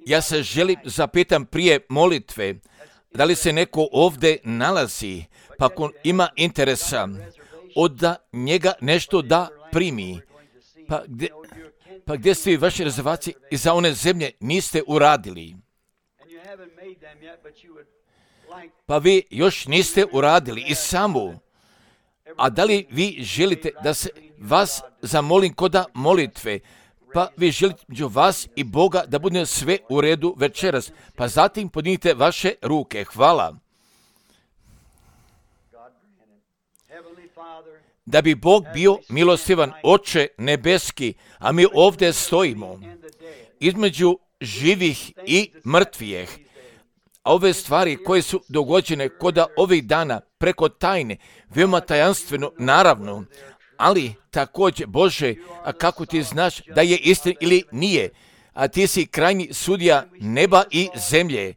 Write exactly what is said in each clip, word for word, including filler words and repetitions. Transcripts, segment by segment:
Ja se želim zapitam prije molitve, da li se neko ovdje nalazi, pa ako ima interesa, od da njega nešto da primi, pa gdje, pa gdje su vaše rezervacije i za one zemlje niste uradili? Pa vi još niste uradili i samo, a da li vi želite da se vas zamolim koda molitve, pa vi želite među vas i Boga da bude sve u redu večeras, pa zatim podignite vaše ruke. Hvala. Da bi Bog bio milostivan, Oče nebeski, a mi ovdje stojimo između živih i mrtvijih. A ove stvari koje su dogođene koda ovih dana preko tajne, veoma tajanstveno, naravno, ali također, Bože, a kako ti znaš da je istina ili nije, a ti si krajnji sudija neba i zemlje,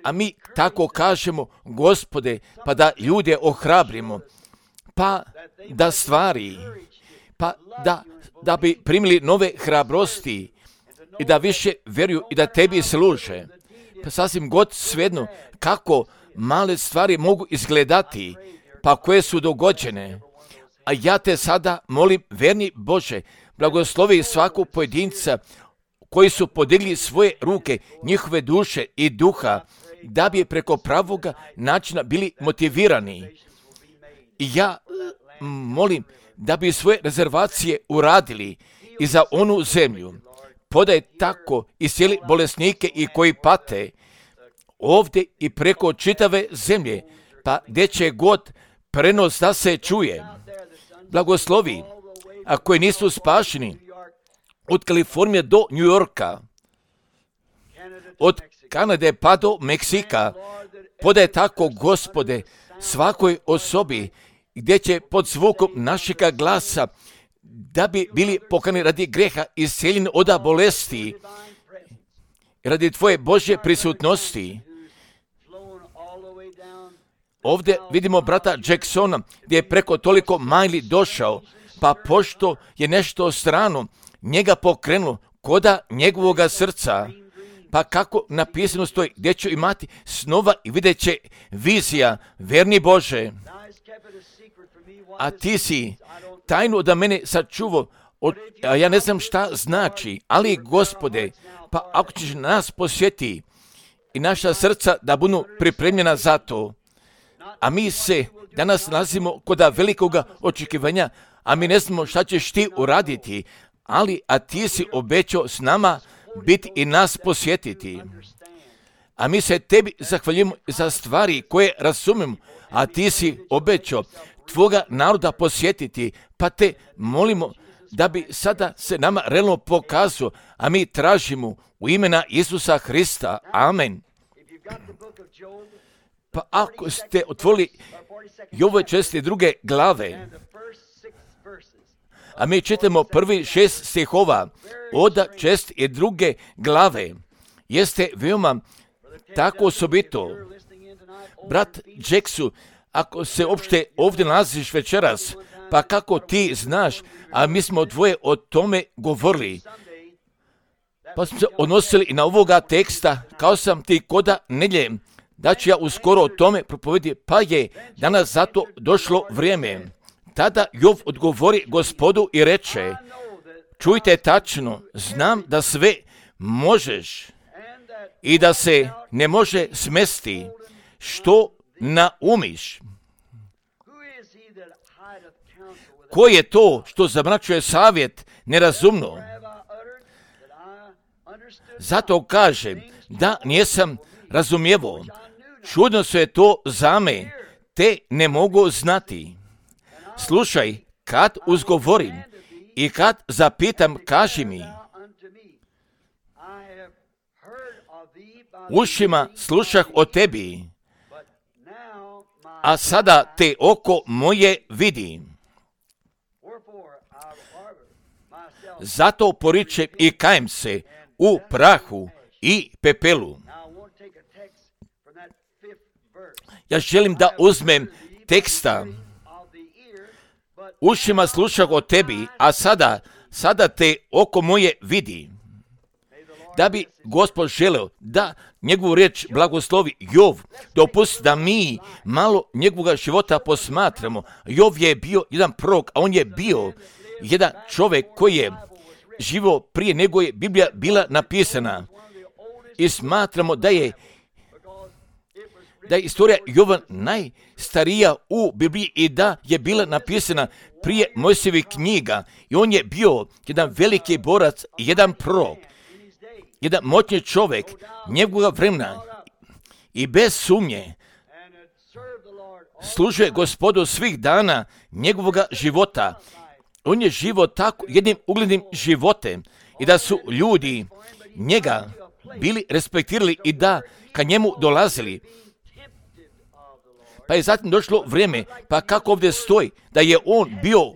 a mi tako kažemo, Gospode, pa da ljude ohrabrimo, pa da stvari, pa da, da bi primili nove hrabrosti i da više vjeruju i da tebi služe. Pa sasvim god svejedno kako male stvari mogu izgledati, pa koje su dogođene. A ja te sada molim, verni Bože, blagoslovi svakog pojedinca koji su podigli svoje ruke, njihove duše i duha, da bi preko pravoga načina bili motivirani. I ja molim da bi svoje rezervacije uradili i za onu zemlju. Podaj tako i cijeli bolesnike i koji pate ovdje i preko čitave zemlje, pa gdje će god prenos da se čuje. Blagoslovi, a koji nisu spašeni, od Kalifornije do New Yorka, od Kanade pa do Meksika, podaj tako, Gospode, svakoj osobi gdje će pod zvukom našega glasa da bi bili pokajani radi greha i isceljeni od bolesti, radi Tvoje Božje prisutnosti. Ovdje vidimo brata Jacksona gdje je preko toliko majli došao, pa pošto je nešto strano njega pokrenulo koda njegovoga srca, pa kako napisano stoji, gdje ću imati snova i vidjet će vizija, verni Bože. A ti si tajnu od mene sačuvao, a ja ne znam šta znači, ali Gospode, pa ako ćeš nas posjeti i naša srca da budu pripremljena za to, a mi se danas nalazimo kod velikoga očekivanja, a mi ne znamo šta ćeš ti uraditi, ali a ti si obećao s nama biti i nas posjetiti. A mi se tebi zahvaljujemo za stvari koje razumemo, a ti si obećao tvoga naroda posjetiti, pa te molimo da bi sada se nama realno pokazao, a mi tražimo u imena Isusa Hrista. Amen. Pa ako ste otvorili Jovove četiri druge glave, a mi čitamo prvi šest stihova od čest i druge glave, jeste veoma tako osobito. Brat Jacksu, ako se uopšte ovdje nalaziš večeras, pa kako ti znaš, a mi smo dvoje o tome govorili, pa smo se odnosili i na ovoga teksta, kao sam ti koda nedjelje, da ću ja uskoro o tome propovedi, pa je danas zato došlo vrijeme. Tada Jov odgovori Gospodu i reče, čujte tačno, znam da sve možeš i da se ne može smesti što naumiš. Ko je to što zamračuje savjet nerazumno? Zato kažem da nisam razumijevo. Čudno se je to za me, te ne mogu znati. Slušaj, kad uzgovorim i kad zapitam, kaži mi. Ušima slušah o tebi, a sada te oko moje vidi. Zato poričem i kajem se u prahu i pepelu. Ja želim da uzmem teksta. Ušima slušah o tebi, a sada, sada te oko moje vidi. da bi Gospod želeo da njegovu riječ blagoslovi Jov, dopusti da mi malo njegovog života posmatramo. Jov je bio jedan prorok, a on je bio jedan čovjek koji je živo prije nego je Biblija bila napisana. I smatramo da je da je istorija Jova najstarija u Bibliji i da je bila napisana prije Mojsijevih knjiga. I on je bio jedan veliki borac, jedan prorok, jedan moćni čovjek njegovog vremena i bez sumnje služuje Gospodu svih dana njegovog života. On je živo tako jednim uglednim životem i da su ljudi njega bili respektirali i da ka njemu dolazili. Pa je zatim došlo vrijeme, pa kako ovdje stoji, da je on bio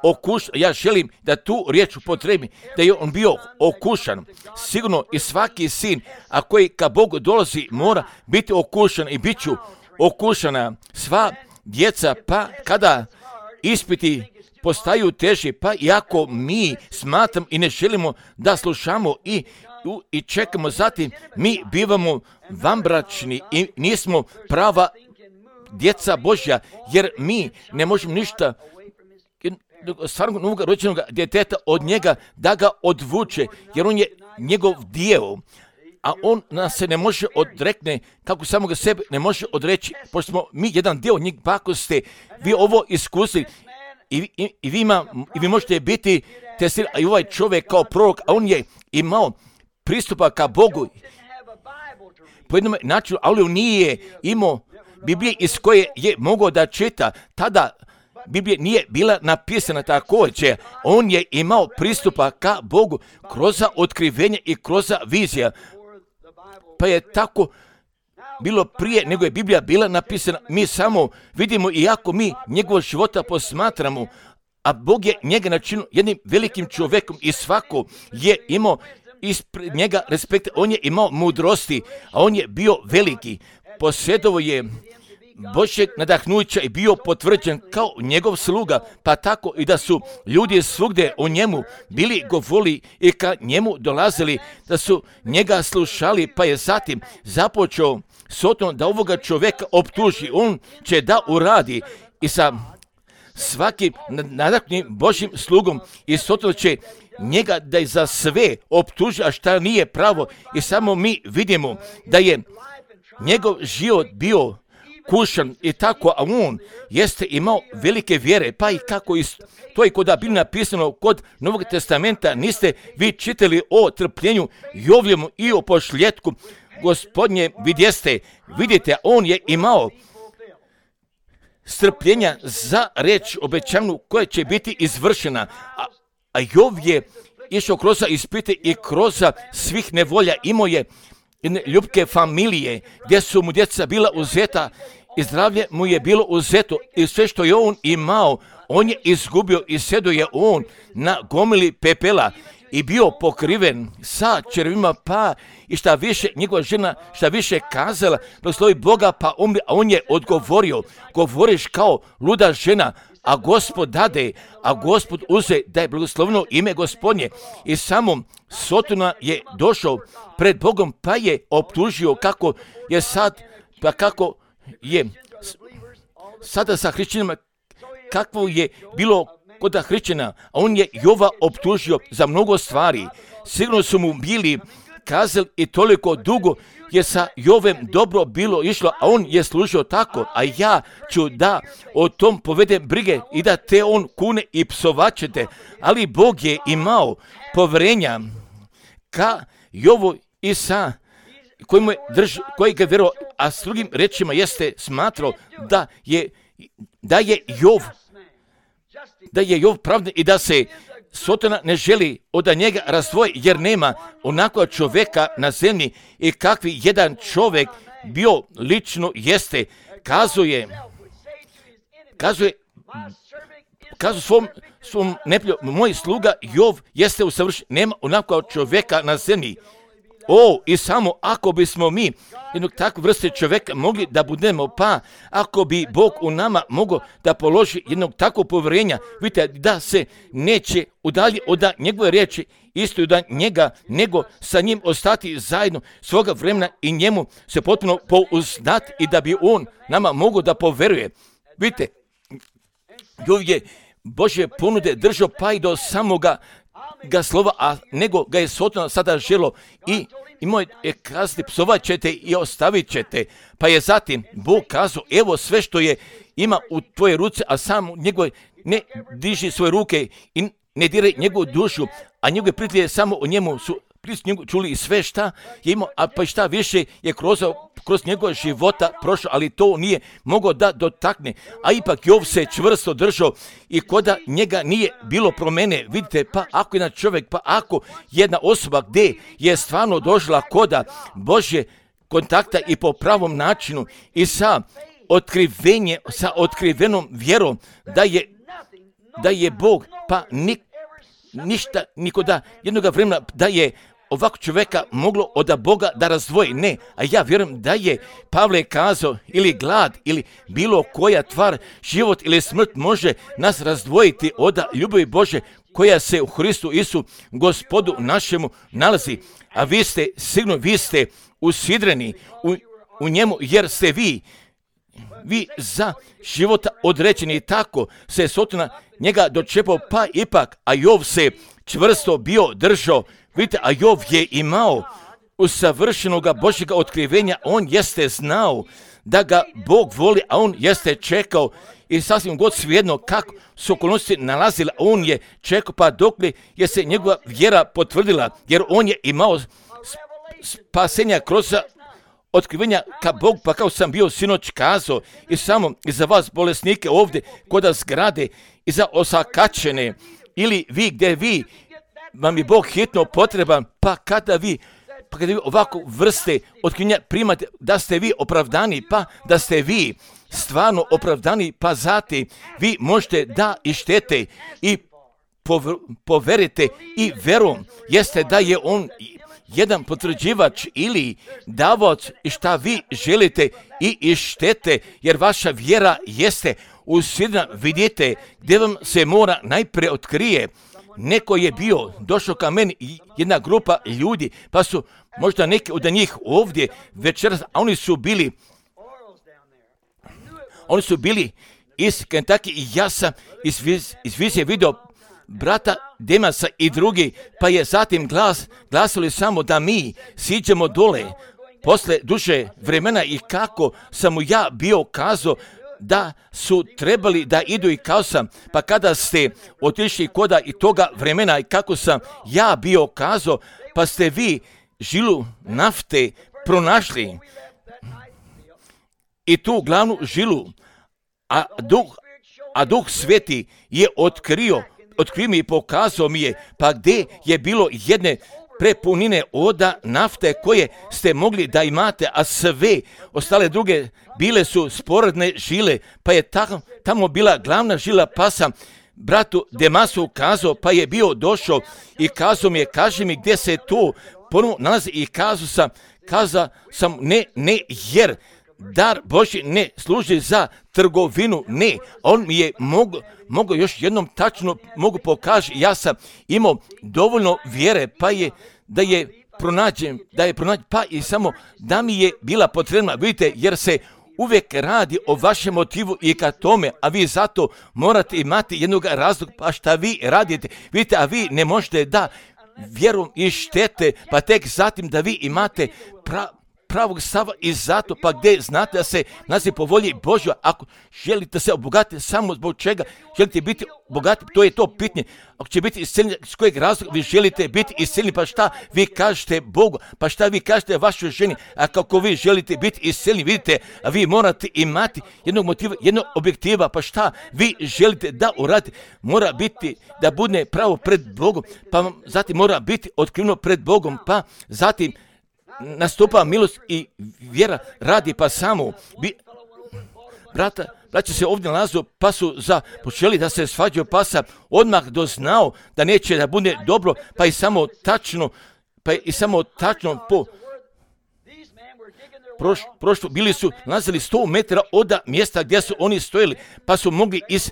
okušan. Ja želim da tu riječ upotrebim, da je on bio okušan. Sigurno i svaki sin, a koji ka Bogu dolazi, mora biti okušan i bit ću okušana. Sva djeca, pa kada ispiti postaju teži, pa iako mi smatram i ne želimo da slušamo i, i čekamo, zatim mi bivamo vanbračni i nismo prava djeca Božja, jer mi ne možemo ništa stvarno novog rođenog djeteta od njega da ga odvuče, jer on je njegov dio, a on nas se ne može odrekne, kako samoga sebe ne može odreći, pošto smo mi jedan dio njeg. Pa ako ste vi ovo iskusili i, i, i, vi, ima, i vi možete biti testirani, a i ovaj čovjek kao prorok, a on je imao pristupa ka Bogu po jednom načinu, ali on nije imao Biblije iz koje je mogao da čita. Tada Biblija nije bila napisana također. On je imao pristupa ka Bogu kroz otkrivenje i kroz vizija. Pa je tako bilo prije nego je Biblija bila napisana. Mi samo vidimo, iako mi njegovog života posmatramo, a Bog je njega načinio jednim velikim čovjekom i svako je imao ispred njega respekt. On je imao mudrosti, a on je bio veliki. Posjedovo je Božjeg nadahnuća i bio potvrđen kao njegov sluga, pa tako i da su ljudi svugdje o njemu bili govorili i ka njemu dolazili, da su njega slušali, pa je zatim započeo Soton da ovoga čovjeka optuži. On će da uradi i sa svakim nadahnutim Božjim slugom i Soton će njega da je za sve optuži, a šta nije pravo. I samo mi vidimo da je njegov život bio kušan i tako, a on jeste imao velike vjere, pa i kako is, to je kod da bilo napisano kod Novog testamenta, niste vi čitali o trpljenju Jovljemu i o pošljetku Gospodnje, vidjeste, vidite, on je imao strpljenja za reč obećanu koja će biti izvršena, a, a Jov je išao kroz ispite i kroz svih nevolja, imao je ljubke familije gdje su mu djeca bila uzeta i zdravlje mu je bilo uzeto i sve što je on imao, on je izgubio i sjedio je on na gomili pepela i bio pokriven sa červima, pa i šta više njegova žena šta više kazala, blagoslovi Boga, pa umri, a on je odgovorio, govoriš kao luda žena, a Gospod dade, a Gospod uze, da je blagoslovno ime Gospodnje. I samo Sotona je došao pred Bogom, pa je optužio kako je sad, pa kako je sada sa hrišćanima, kakvo je bilo kod hrišćana, a on je Jova optužio za mnogo stvari. Sigurno su mu bili kazali i toliko dugo je sa Jovem dobro bilo išlo, a on je služio tako, a ja ću da o tom povedem brige i da te on kune i psovaćete, ali Bog je imao povjerenja ka Jovu i sa kojim je drž, koji ga vjerovao, a s drugim rečima jeste smatrao da je, da je Jov da je Jov pravdan i da se Sotona ne želi od njega razdvoji, jer nema onakva čovjeka na zemlji i kakvi jedan čovjek bio lično jeste. Kazuje, kazuje, kazuje svom, svom neprijatelju, moj sluga Jov jeste usavršen, nema onakva čovjeka na zemlji. O, i samo ako bismo mi jednog takve vrste čovjeka mogli da budemo, pa ako bi Bog u nama mogao da položi jednog takvog povjerenja, vidite da se neće udalji od njegove riječi, isto da njega, nego sa njim ostati zajedno svoga vremena i njemu se potpuno pouzdati i da bi on nama mogao da poveruje. Vidite, je Božje ponude držao pa i do samoga ga slova, a nego ga je Sotona sada želo i imao je kazati, psovat ćete i ostavit ćete. Pa je zatim Bog kazao, evo sve što je ima u tvoje ruce, a sam njegove ne diži svoje ruke i ne diraj njegovu dušu, a njegove prijatelje samo o njemu su njegu čuli i sve šta je imao, a pa šta više je kroz, kroz njegove života prošao, ali to nije mogao da dotakne. A ipak Jov se čvrsto držao i koda njega nije bilo promene. Vidite, pa ako jedan čovjek, pa ako jedna osoba gdje je stvarno došla koda Božje kontakta i po pravom načinu i sa otkrivenje, sa otkrivenom vjerom da je, da je Bog, pa nik, ništa, nikoda jednoga vremena da je ovako čovjeka moglo od Boga da razdvoji. Ne, a ja vjerujem da je Pavle kazao ili glad ili bilo koja tvar, život ili smrt može nas razdvojiti od ljubavi Bože koja se u Hristu Isu Gospodu našemu nalazi. A vi ste, sigurno vi ste usidreni u, u njemu jer ste vi, vi za života određeni. Tako se Sotona njega dočepao, pa ipak, a Jov se čvrsto bio držao. Vidite, a Jov je imao usavršenoga Božjega otkrivenja, on jeste znao da ga Bog voli, a on jeste čekao i sasvim god svejedno kako su okolnosti nalazile, on je čekao pa dokle je se njegova vjera potvrdila, jer on je imao spasenja kroz otkrivenja ka Bog, pa kao sam bio sinoć kazao i samo i za vas bolesnike ovdje kod zgrade i za osakačene ili vi gdje vi vam je Bog hitno potreban, pa kada vi, pa kada vi ovako vrste otkrivenja primate, da ste vi opravdani, pa da ste vi stvarno opravdani, pa zati vi možete da ištete i poverite i verom jeste da je on jedan potvrđivač ili davac i šta vi želite i ištete, jer vaša vjera jeste usidrena. Vidite gdje vam se mora najprije otkrije. Neko je bio, došao ka meni jedna grupa ljudi, pa su možda neki od njih ovdje večeras, a oni su bili, oni su bili iz Kentucky i ja sam iz, iz vizije vidio brata Demasa i drugi, pa je zatim glas, glasili samo da mi siđemo dole posle duže vremena i kako sam mu ja bio kazao da su trebali da idu i kao sam, pa kada ste otišli koda i toga vremena i kako sam ja bio kazao, pa ste vi žilu nafte pronašli i tu glavnu žilu, a duh, a duh sveti je otkrio, otkrio mi i pokazao mi je, pa gdje je bilo jedne prepunine oda nafte koje ste mogli da imate, a sve ostale druge bile su sporedne žile, pa je tamo, tamo bila glavna žila, pa sam bratu Demasu kazao, pa je bio došao i kazao mi je, kaži mi gdje se to ponovno nalazi i kazao sam, kazao sam ne, ne, jer dar Božji ne služi za trgovinu, ne, on mi je mogo, mogo još jednom tačno mogu pokaži, ja sam imao dovoljno vjere, pa je da je pronađen, da je pronađen, pa i samo da mi je bila potrebna, vidite, jer se uvijek radi o vašem motivu i ka tome, a vi zato morate imati jednog razloga, pa šta vi radite, vidite, a vi ne možete da vjerom i štete, pa tek zatim da vi imate pra, pravog stava i zato, pa gdje znate da se nalazi po volji Božjoj, ako želite se obogatiti samo zbog čega želite biti bogati, to je to pitanje. Ako će biti isceljeni, s kojeg razloga vi želite biti isceljeni, pa šta vi kažete Bogu, pa šta vi kažete vašoj ženi, a kako vi želite biti isceljeni, vidite, a vi morate imati jednog motiva, jednog objektiva, pa šta vi želite da uradite, mora biti da bude pravo pred Bogom, pa zatim mora biti otkriveno pred Bogom, pa zatim nastupa milost i vjera radi, pa samo bi, brata, braća se ovdje nalazu, pa su započeli da se svađaju, pa sam odmah doznao da neće da bude dobro, pa i samo tačno pa i samo tačno po proš, prošlo, bili su nalazili sto metara od mjesta gdje su oni stojili, pa su mogli iz,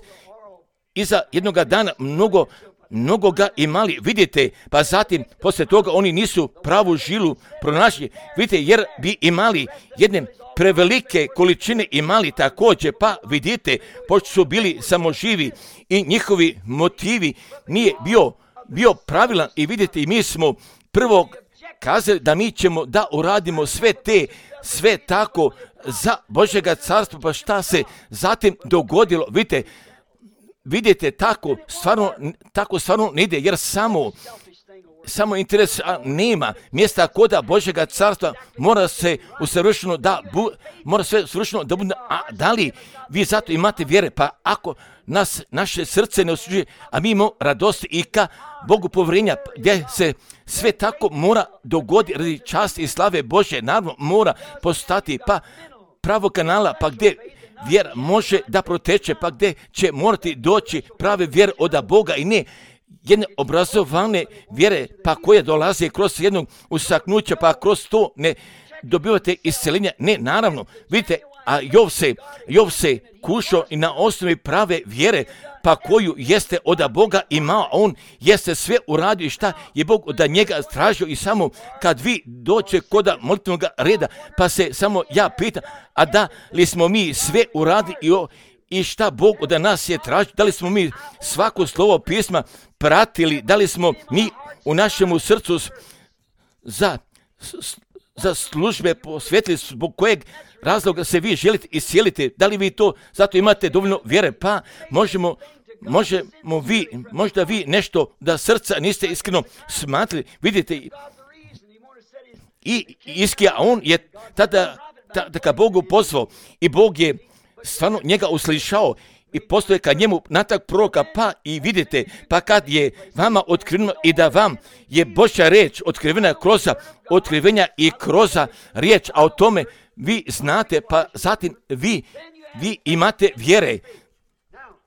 iza jednoga dana mnogo, mnogo ga imali, vidite, pa zatim poslije toga oni nisu pravu žilu pronašli, vidite, jer bi imali jedne prevelike količine imali također, pa vidite, pošto su bili samo živi i njihovi motivi nije bio, bio pravilan i vidite, i mi smo prvo kazali da mi ćemo da uradimo sve te, sve tako za Božjega carstva, pa šta se zatim dogodilo, vidite, vidite, tako stvarno, tako stvarno ne ide, jer samo samo interes a, nema mjesta koda Božjega carstva, mora se usavršeno da bu, mora sve usavršeno da bude, a da li vi zato imate vjere, pa ako nas naše srce ne osuđuje, a mi imamo radost i ka Bogu povjerenja, gdje se sve tako mora dogoditi radi časti i slave Božje, naravno mora postati pa pravo kanala, pa gdje vjera može da proteče, pa gdje će morati doći prave vjere od Boga i ne jedne obrazovane vjere, pa koje dolaze kroz jednog usaknuća, pa kroz to ne dobivate isceljenja. Ne, naravno, vidite, a Jov se, Jov se kušao i na osnovi prave vjere, pa koju jeste od Boga imao, a on jeste sve uradio i šta je Bog od njega tražio i samo kad vi dođe kod molitvenog reda, pa se samo ja pitam, a da li smo mi sve uradili i o I šta Bog od nas je tražio, da li smo mi svako slovo pisma pratili, da li smo mi u našemu srcu za, za službe posvetili, zbog kojeg razloga se vi želite iscijeliti, da li vi to zato imate dovoljno vjere, pa možemo, možemo vi, možda vi nešto da srca niste iskreno smatrali, vidite, i Iskija, on je tada, tada ka Bogu pozvao i Bog je stvarno njega uslišao i postoje ka njemu natak proroka, pa i vidite, pa kad je vama otkriveno i da vam je Božja riječ otkrivena kroz otkrivenja i kroz riječ, a o tome vi znate, pa zatim vi, vi imate vjere,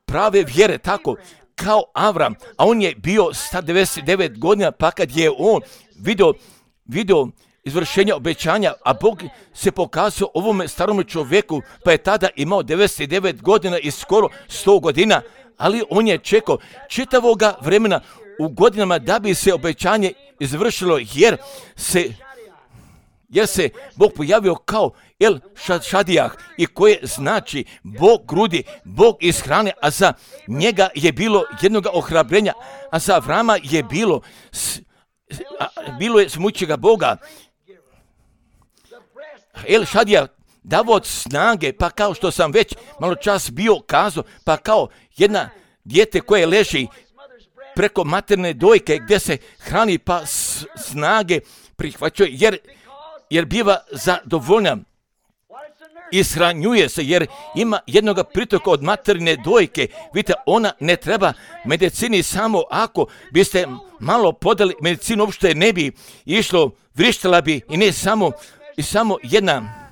prave vjere, tako kao Avram, a on je bio sto devedeset devet godina, pa kad je on vidio, vidio izvršenja obećanja, a Bog se pokazao ovome starome čovjeku, pa je tada imao devedeset devet godina i skoro sto godina, ali on je čekao čitavoga vremena u godinama da bi se obećanje izvršilo, jer se, jer se Bog pojavio kao El Šadijah, i koje znači Bog grudi, Bog iz hrane, a za njega je bilo jednoga ohrabrenja, a za Avrama je bilo, a, bilo je smućega Boga. El Šadijah davo od snage, pa kao što sam već malo čas bio kazao, pa kao jedna dijete koje leži preko materne dojke gdje se hrani, pa snage prihvaćuje, jer, jer biva zadovoljna, ishranjuje se, jer ima jednoga pritoka od materne dojke. Vidite, ona ne treba medicini, samo ako biste malo podali medicinu, uopšte ne bi išlo, vrištala bi i ne samo i samo jedna,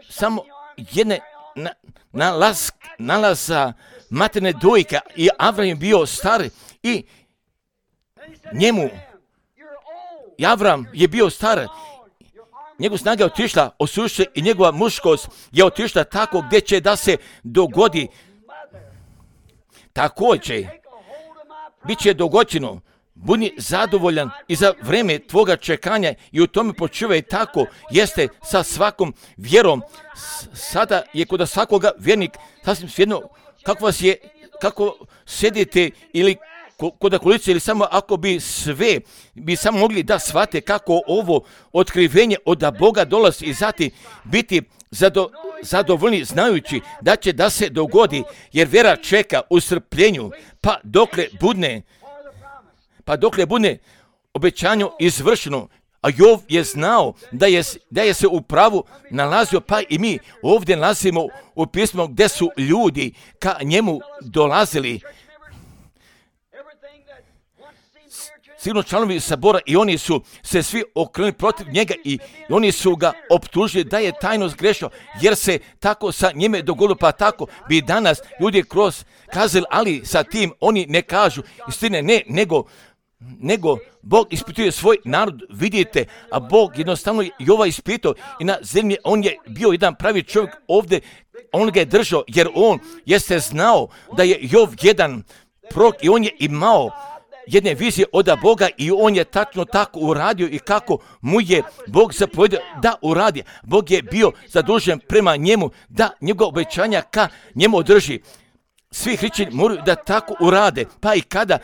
samo jedne na, nalaz, nalaza materne dojke, i Avram je bio star i njemu, i Avram je bio star, njegova snaga je otišla, osušće, i njegova muškost je otišla tako gdje će da se dogodi. Također, bit će dogođeno, budi zadovoljan i za vreme tvoga čekanja i u tome počivaj, tako jeste sa svakom vjerom. Sada je kod svakoga vjernik sasvim svejedno kako vas je, kako sedite ili kod okolice, ili samo ako bi sve, bi samo mogli da shvate kako ovo otkrivenje od Boga dolazi i zatim biti zado, zadovoljni znajući da će da se dogodi, jer vjera čeka u strpljenju, pa dokle budne, pa dokle budne obećanje izvršeno. A Jov je znao da je, da je se u pravu nalazio, pa i mi ovdje nalazimo u pismu gdje su ljudi ka njemu dolazili. Sigurno članovi sabora, i oni su se svi okrenuli protiv njega i oni su ga optužili da je tajno zgrešio, jer se tako sa njime dogodilo, pa tako bi danas ljudi kroz kazali, ali sa tim oni ne kažu istine, ne, nego nego Bog ispituje svoj narod, vidite, a Bog jednostavno Jova ispitao i na zemlji on je bio jedan pravi čovjek ovdje, on ga je držao, jer on jeste znao da je Jov jedan prorok i on je imao jedne vizije od Boga i on je tačno tako uradio i kako mu je Bog zapovjedio da uradi. Bog je bio zadužen prema njemu da njegova obećanja ka njemu održi. Svi hrišćani moraju da tako urade, pa i kada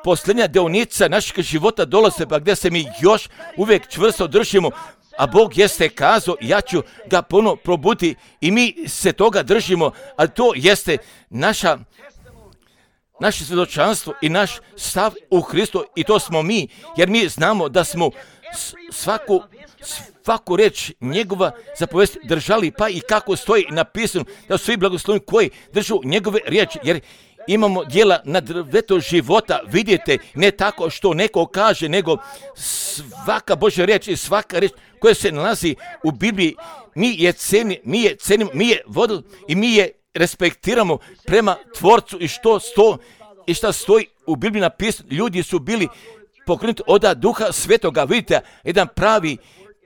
posljednja deonica našeg života dolaze, pa gdje se mi još uvijek čvrsto držimo, a Bog jeste kazao, ja ću ga ponovno probuditi i mi se toga držimo, ali to jeste naša naše svjedočanstvo i naš stav u Hristu i to smo mi, jer mi znamo da smo svaku, svaku reč njegova zapovesti držali, pa i kako stoji napisano da su svi blagosloveni koji držu njegove riječi, jer imamo djela na drvetu života, vidite, ne tako što neko kaže, nego svaka Božja riječ i svaka riječ koja se nalazi u Bibliji, mi je cenimo, mi je cenimo, mi je vodili i mi je respektiramo prema Tvorcu i što sto i šta stoji u Bibliji napisano. Ljudi su bili pokrenuti od Duha Svetoga, vidite, jedan pravi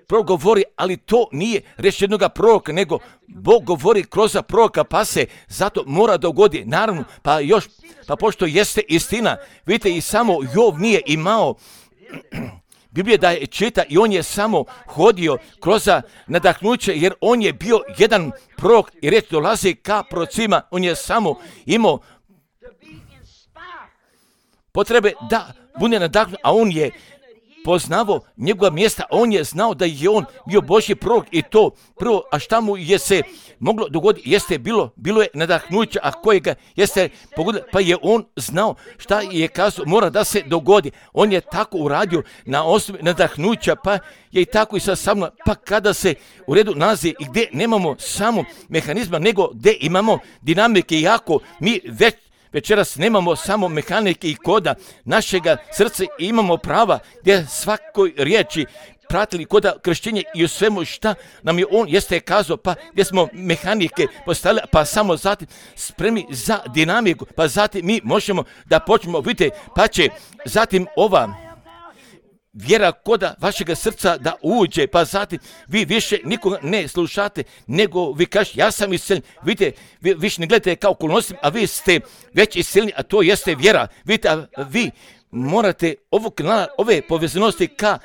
prorok govori, ali to nije reč jednog proroka, nego Bog govori kroz proroka, pa se zato mora dogodi. Naravno, pa još, pa pošto jeste istina, vidite, i samo Jov nije imao Biblije da je čita i on je samo hodio kroz nadahnuće, jer on je bio jedan prorok i reč dolazi ka prorocima, on je samo imao potrebe da bude nadahnut, a on je poznavao njegova mjesta, on je znao da je on bio Božji prorok i to prvo, a šta mu je se moglo dogoditi, jeste bilo, bilo je nadahnuće, a kojega jeste pogodilo, pa je on znao šta je kazao, mora da se dogodi. On je tako uradio na osnovi nadahnuća, pa je i tako i sa samom, pa kada se u redu nalazi i gdje nemamo samo mehanizma, nego gdje imamo dinamike, iako mi već večeras nemamo samo mehanike i koda našega srca i imamo prava gdje svakoj riječi pratili koda kršćenja i u svemu šta nam je on jeste kazao, pa gdje smo mehanike postavili, pa samo zatim spremni za dinamiku, pa zatim mi možemo da počnemo vidjeti, pa će zatim ova vjera koda vašega srca da uđe, pa zatim vi više nikoga ne slušate, nego vi kažete ja sam isceljen, vidite, vi više ne gledate kao okolnostima, a vi ste već isceljeni, a to jeste vjera. Vidite, a vi morate ovog kanala, ove povezanosti ka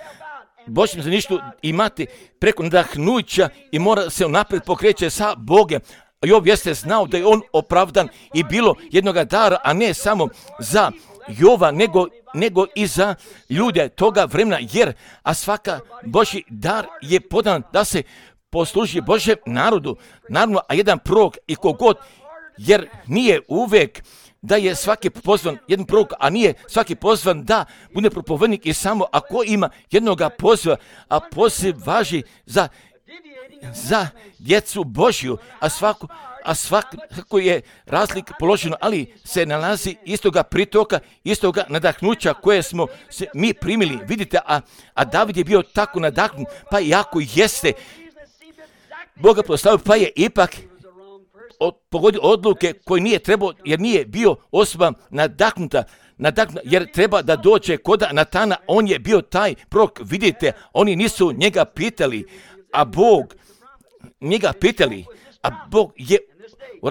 Božjem zaništu imati preko nadahnuća i mora se unaprijed pokreće sa Bogom. Jov jeste znao da je on opravdan i bilo jednoga dara, a ne samo za Jova, nego, nego i za ljude toga vremena, jer a svaka Božji dar je podan da se posluži Božjem narodu, naravno, a jedan prorok i kogod, jer nije uvijek da je svaki pozvan jedan prorok, a nije svaki pozvan da bude propovednik i samo ako ima jednoga poziva, a poziv važi za, za djecu Božju, a svako a svako je razlik položeno, ali se nalazi istoga pritoka, istoga nadahnuća koje smo se mi primili. Vidite, a, a David je bio tako nadahnut, pa jako jeste Boga proslavio, pa je ipak od, pogodio odluke koje nije trebao, jer nije bio osoba nadahnuta, nadahnuta, jer treba da dođe kod Natana, on je bio taj prorok. Vidite, oni nisu njega pitali, a Bog njega pitali, a Bog je,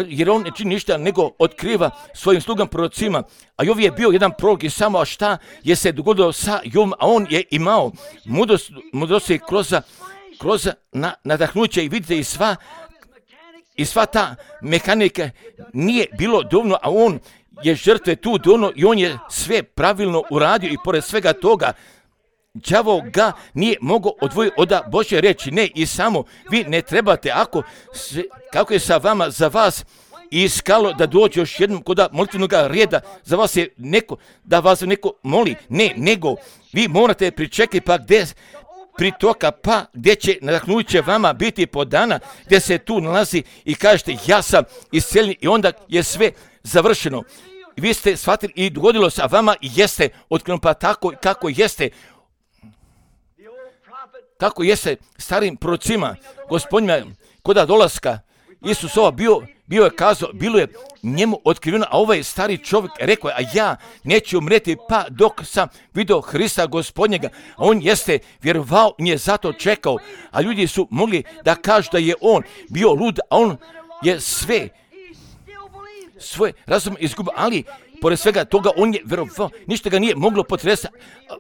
jer on ne čini ništa nego otkriva svojim slugama prorocima, a Jov je bio jedan prorok i samo, a šta je se dogodilo sa Jovom, a on je imao mudrost, mudrosti kroz, kroz na, nadahnuće i vidite i sva i sva ta mehanika nije bilo dovoljno, a on je žrtve tu dovoljno i on je sve pravilno uradio i pored svega toga đavo ga nije mogao odvojiti od Božje reči. Ne, i samo vi ne trebate, ako se, kako je sa vama, za vas iskalo da dođe još jednom kod molitvenog reda, za vas je neko, da vas neko moli, ne, nego vi morate pričekati pa gdje pritoka, pa gdje će nadahnuće vama biti podana, gdje se tu nalazi i kažete ja sam isceljen i onda je sve završeno. Vi ste shvatili i dogodilo se, a vama jeste otkrenuto, pa tako kako jeste kako jeste starim prorocima, gospodinima, koda dolaska, Isusova bio, bio je kazao, bilo je njemu otkriveno, a ovaj stari čovjek rekao je, a ja neću umreti pa dok sam vidio Hrista Gospodnjega. A on jeste vjerovao, nije zato čekao, a ljudi su mogli da kažu da je on bio lud, a on je sve svoj razum izgubio, ali pored svega toga on je vjerovao, ništa ga nije moglo potresati.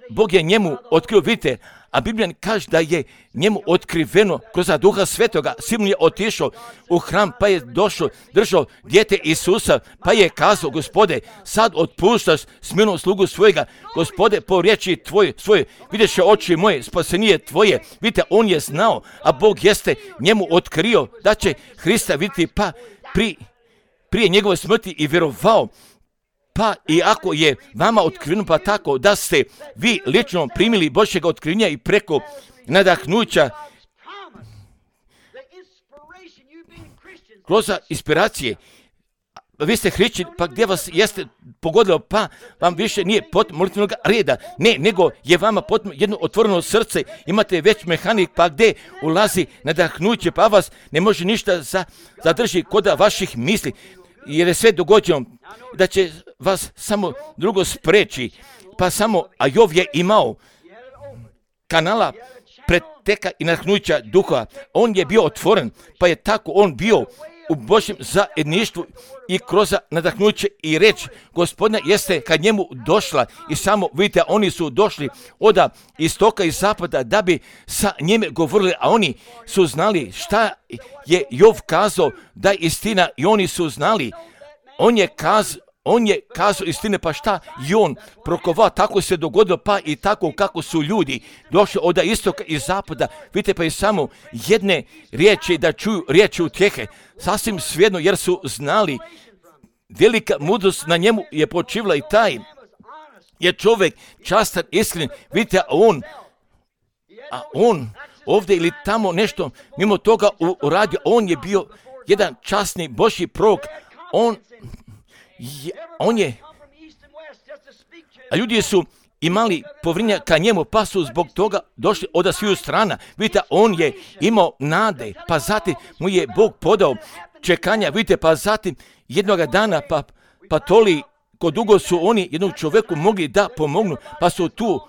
Bog je njemu otkrio, vidite, a Biblija kaže da je njemu otkriveno kroz Duha Svetoga. Simon je otišao u hram, pa je došao, držao dijete Isusa, pa je kazao, Gospode, sad otpuštaš smirenog slugu svojega, Gospode, po riječi tvoje, svoje, videše oči moje, spasenije tvoje. Vidite, on je znao, a Bog jeste njemu otkrio da će Hrista vidjeti, pa pri, prije njegove smrti i vjerovao. Pa i ako je vama otkriveno, pa tako da ste vi lično primili Božjega otkrivenja i preko nadahnuća kroz inspiracije, vi ste hrišćani, pa gdje vas jeste pogodilo, pa vam više nije potrebno molitvenog reda, ne, nego je vama potrebno jedno otvoreno srce, imate već mehanik, pa gdje ulazi nadahnuće, pa vas ne može ništa za, zadrži kod vaših misli, jer je sve dogođeno da će vas samo drugo spreči, pa samo, a Jov je imao kanala preteka i nadahnuća duha, on je bio otvoren, pa je tako on bio u Božjem zajedništvu i kroz nadahnuće i reč Gospodina jeste kad njemu došla i samo vidite, oni su došli od istoka i zapada da bi sa njime govorili, a oni su znali šta je Jov kazao da je istina i oni su znali, on je kazao, On je kazao istine, pa šta i on prokovao, tako se dogodilo, pa i tako kako su ljudi došli od istoka i zapada, vidite, pa i samo jedne riječi da čuju riječi utjehe, sasvim svejedno, jer su znali, velika mudrost na njemu je počivala i taj je čovjek častan, iskren, vidite, a on, a on ovdje ili tamo nešto mimo toga uradio, on je bio jedan časni Božji prorok, on Je, on je, a ljudi su imali povjerenja ka njemu, pa su zbog toga došli od sviju strana. Vidite, on je imao nade, pa zatim mu je Bog podao čekanja, vidite, pa zatim jednoga dana, pa, pa toliko dugo su oni jednog čovjeku mogli da pomognu, pa su tu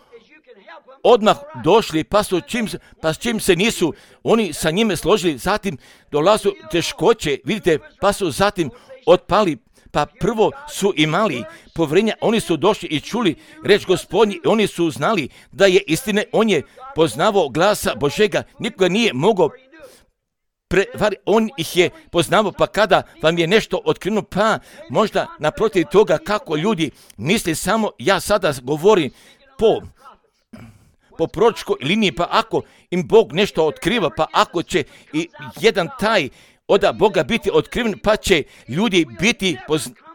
odmah došli, pa su čim, pa s čim se nisu oni sa njime složili, zatim dolazu teškoće, vidite, pa su zatim otpali. Pa prvo su imali povjerenja, oni su došli i čuli reč Gospodnji, oni su znali da je istine, on je poznavao glasa Božega, nikoga nije mogao prevariti, on ih je poznavao, pa kada vam je nešto otkriveno, pa možda naprotiv toga kako ljudi misle, samo ja sada govorim po, po proročkoj liniji, pa ako im Bog nešto otkriva, pa ako će i jedan taj od Boga biti otkriven, pa će ljudi biti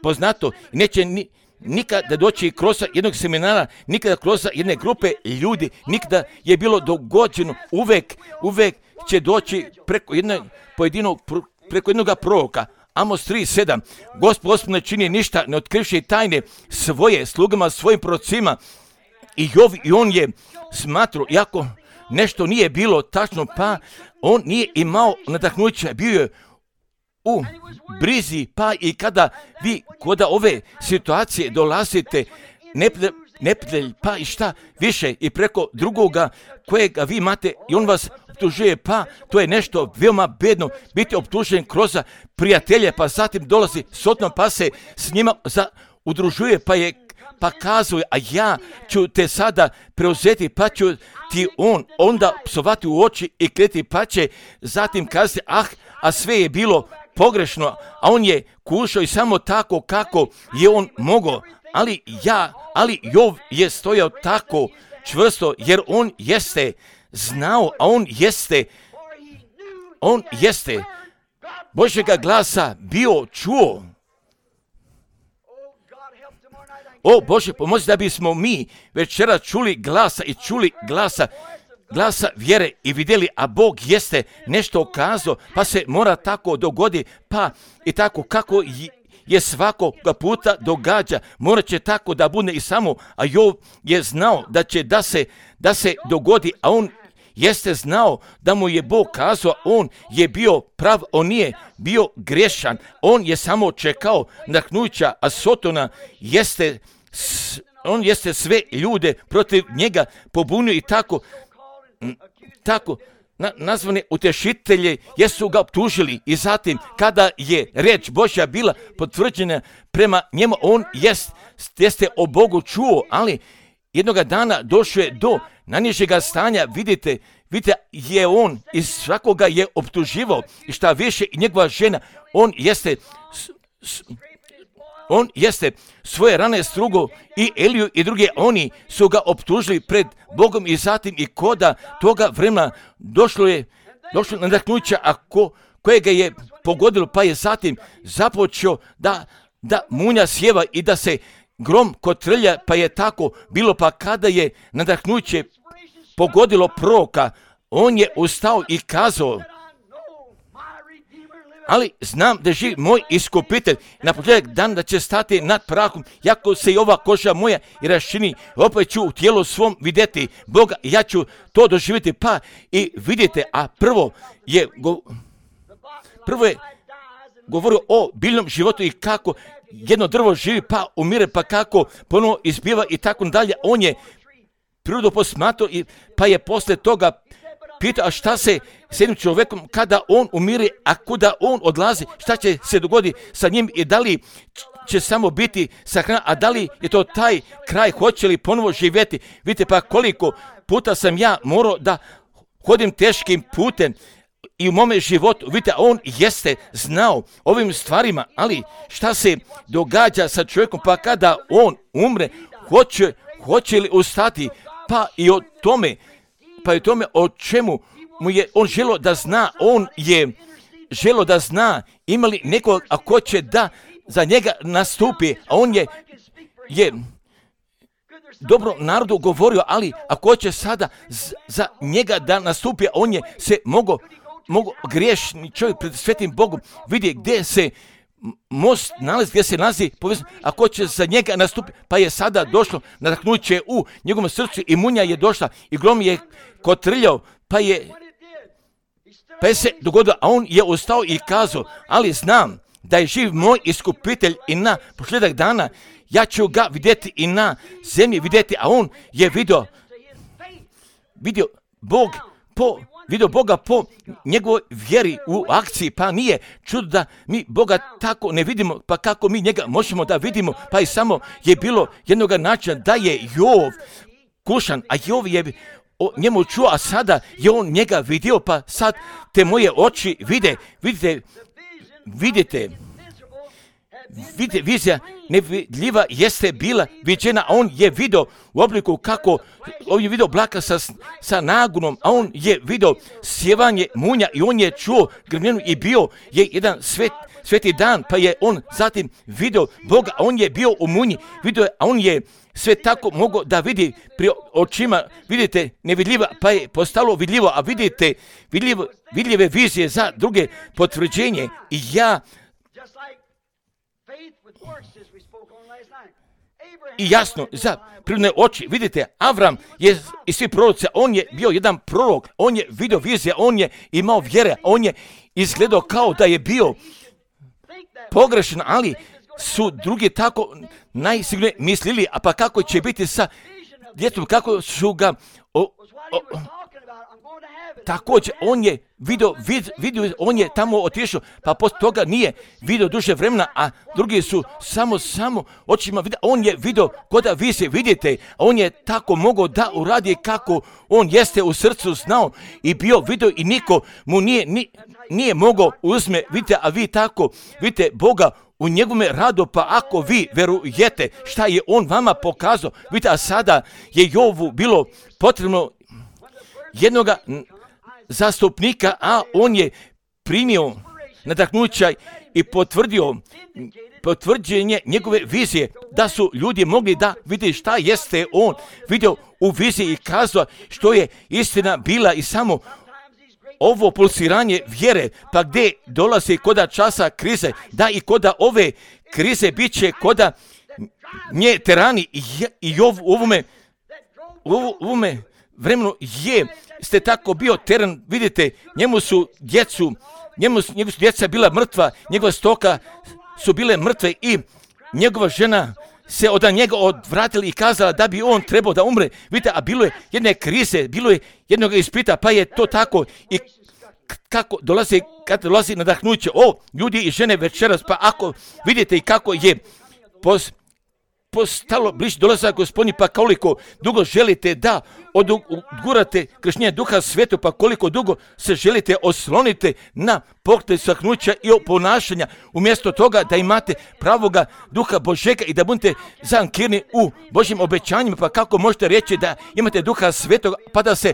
poznato i neće ni, nikada doći kroz jednog seminara, nikada kroz jedne grupe ljudi, nikada je bilo dogođeno, uvek, uvek će doći preko jednog pojedinog, preko jednog proroka. Amos tri sedam, Gospod, Gospod ne čini ništa, ne otkrivši tajne svoje slugama, svojim prorocima, i Jov, i on je smatrao, iako nešto nije bilo tačno, pa on nije imao nadahnuća, bio je u brizi, pa i kada vi kod ove situacije dolazite, neprijatelj, pa i šta više i preko drugoga kojega vi imate i on vas optužuje, pa to je nešto veoma bedno biti optužen kroz prijatelje, pa zatim dolazi sotno, pa se s njima za, udružuje, pa je pa kazuje, a ja ću te sada preuzeti, pa ću ti on onda psovati u oči i kleti, pa će zatim kazati, ah, a sve je bilo pogrešno, a on je kušao i samo tako kako je on mogao, ali ja, ali Jov je stojao tako čvrsto, jer on jeste znao, a on jeste, on jeste Božjega glasa bio čuo. O Bože, pomozi da bismo mi večera čuli glasa i čuli glasa, glasa vjere i vidjeli, a Bog jeste nešto kazao, pa se mora tako dogodi, pa i tako kako je svakoga puta događa, morat će tako da bude i samo, a Jov je znao da će da se, da se dogodi, a on jeste znao da mu je Bog kazao, on je bio prav, on nije bio grešan, on je samo čekao nadahnuća, a Sotona jeste, on jeste sve ljude protiv njega pobunio i tako, tako, Na, nazvane utešitelje jesu ga optužili i zatim kada je reč Božja bila potvrđena prema njemu, on jest, jeste o Bogu čuo, ali jednoga dana došao je do najnižega stanja, vidite, vidite je on i svakoga je optuživao i šta više i njegova žena, on jeste s, s, on jeste svoje rane strugo i Eliju i druge, oni su ga optužili pred Bogom i zatim i koda toga vremena došlo je došlo nadahnuća, a ko, kojega je pogodilo, pa je zatim započeo da, da munja sjeva i da se grom kotrlja, pa je tako bilo, pa kada je nadahnuće pogodilo proroka, on je ustao i kazao, ali znam da živi moj iskupitelj, na početak dan da će stati nad prahom, jako se i ova koža moja i raščini, opet ću u tijelu svom vidjeti Boga, ja ću to doživjeti, pa i vidite, a prvo je, go, prvo je govorio o biljnom životu i kako jedno drvo živi, pa umire, pa kako ponovo izbiva i tako dalje, on je prirodu posmatrao, pa je posle toga pita, a šta se s jednim čovjekom kada on umire, a kuda on odlazi, šta će se dogoditi sa njim i da li će samo biti sahranjen, a da li je to taj kraj, hoće li ponovo živjeti. Vidite pa koliko puta sam ja morao da hodim teškim putem i u mome životu, vidite, on jeste znao ovim stvarima, ali šta se događa sa čovjekom, pa kada on umre, hoće, hoće li ustati, pa i o tome, pa i o tome o čemu mu je on želio da zna, on je želio da zna, ima li nekog, a ko će da za njega nastupi, a on je, je dobro narodu govorio, ali ako će sada z, za njega da nastupi, on je se mogo, mogo griješni čovjek pred svetim Bogom, vidi gdje se most nalazi, gdje se nalazi povezano, ako će za njega nastupi, pa je sada došlo nadahnuće u njegovom srcu i munja je došla i grom je kotrljao, pa je, pa je se dogodilo, a on je ustao i kazao, ali znam da je živ moj iskupitelj i na posljedak dana ja ću ga vidjeti i na zemlji vidjeti, a on je vidio, vidio Bog po, vidio Boga po njegovoj vjeri u akciji, pa nije čudo da mi Boga tako ne vidimo, pa kako mi njega možemo da vidimo, pa i samo je bilo jednog načina da je Jov kušan, a Jov je o njemu čuo, a sada je on njega vidio, pa sad te moje oči vide, vidite, vidite, vidite, vizija nevidljiva jeste bila viđena, a on je vidio u obliku kako, on je vidio oblaka sa, sa nagunom, a on je vidio sjevanje munja i on je čuo grmljenu i bio je jedan svet, sveti dan, pa je on zatim vidio Boga, a on je bio u munji, vidio je, a on je sve tako mogao da vidi pri očima, vidite, nevidljiva, pa je postalo vidljivo, a vidite, vidljivo, vidljive vizije za druge potvrđenje i ja i jasno za prirodne oči, vidite, Avram je i svi proroci, on je bio jedan prorok, on je vidio vizije, on je imao vjere, on je izgledao kao da je bio pogrešan, ali su drugi tako najsigurnije mislili, a pa kako će biti sa djetom, kako su ga o, o, također on je vidio, vid, vidio, on je tamo otišao, pa poslije toga nije vidio duže vremena, a drugi su samo, samo očima vidio, on je vidio koda vi se vidite, on je tako mogao da uradi kako on jeste u srcu znao i bio vidio i niko mu nije, ni, nije mogao uzme, vidite, a vi tako, vidite Boga u njegome radu, pa ako vi verujete šta je on vama pokazao, vidite, a sada je Jovu bilo potrebno jednoga zastupnika, a on je primio nadahnuća i potvrdio potvrđenje njegove vizije, da su ljudi mogli da vidi šta jeste on vidio u viziji i kazao što je istina bila i samo ovo pulsiranje vjere, pa gdje dolazi koda časa krize, da i koda ove krize bit će koda nje terani i, i u ovome, u ovome vremenu je ste tako bio teren, vidite, njemu su djecu, njemu su, njemu su djeca bila mrtva, njegova stoka su bile mrtve i njegova žena se od njega odvratila i kazala da bi on trebao da umre. Vidite, a bilo je jedne krize, bilo je jednog ispita, pa je to tako. I kako dolazi, kad dolazi nadahnuće, o, ljudi i žene večeras, pa ako vidite i kako je pos, postalo bliže dolazak Gospodnji, pa koliko dugo želite da odgurate krštenje Duha Svetog, pa koliko dugo se želite osloniti na pokrete sahnuća i ponašanja, umjesto toga da imate pravoga Duha Božega i da budete zankirni u Božjim obećanjima, pa kako možete reći da imate Duha Svetog, pa da se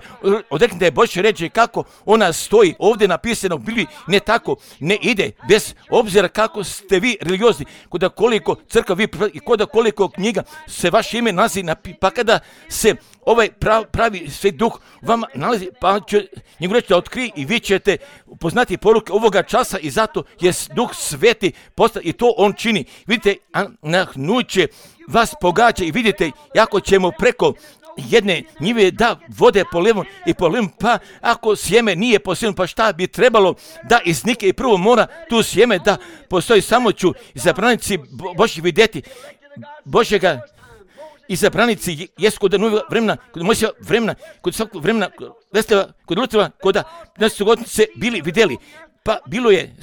odreknete Božje reći kako ona stoji ovdje napisano u Bibliji, ne tako, ne ide, bez obzira kako ste vi religiozni, koda koliko crkva vi i koda koliko knjiga se vaše ime nalazi, pa kada se ovaj prav, pravi Sveti Duh vama nalazi, pa će njegov reći da otkrije i vi ćete poznati poruke ovoga časa i zato je Duh Sveti postao i to on čini. Vidite, nahnuće vas pogađa i vidite jako ćemo preko jedne njive da vode po levom i po levom, pa ako sjeme nije posijeno, pa šta bi trebalo da iznike i prvo mora tu sjeme da postoji, samo ću izabranici Božji vidjeti Božjega izabranici jesu kod novog vremena, kod Mojsija vremena, kod svakog vremena, Vesleva, kod Lutrova, kod nas su godinice bili vidjeli, pa bilo je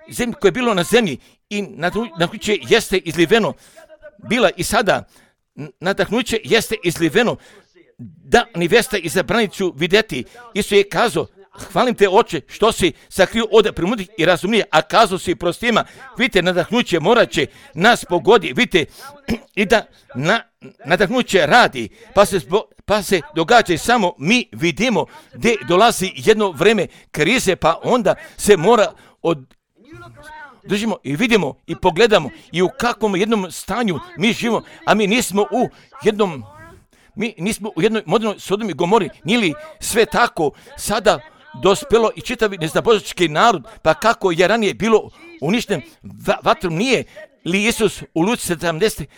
zemlje koje je bilo na zemlji i nadahnuće jeste izliveno, bila i sada nadahnuće jeste izliveno, da nevesta izabranicu vidjeti. Isus je kazao, hvalim te oče što si sakrio od premudrih i razumnije, a kazao si prostima, vidite, nadahnuće morat će nas pogodi, vidite, i da na, nadahnuće radi, pa se, pa se događa i samo mi vidimo gdje dolazi jedno vreme krize, pa onda se mora od držimo i vidimo i pogledamo i u kakvom jednom stanju mi živimo, a mi nismo u jednom, mi nismo u jednoj modernoj Sodomi i Gomori, nije li sve tako sada dospelo i čitavi neznabožački narod, pa kako je ranije bilo uništen vatrom, nije li Isus u Luci sedamdeset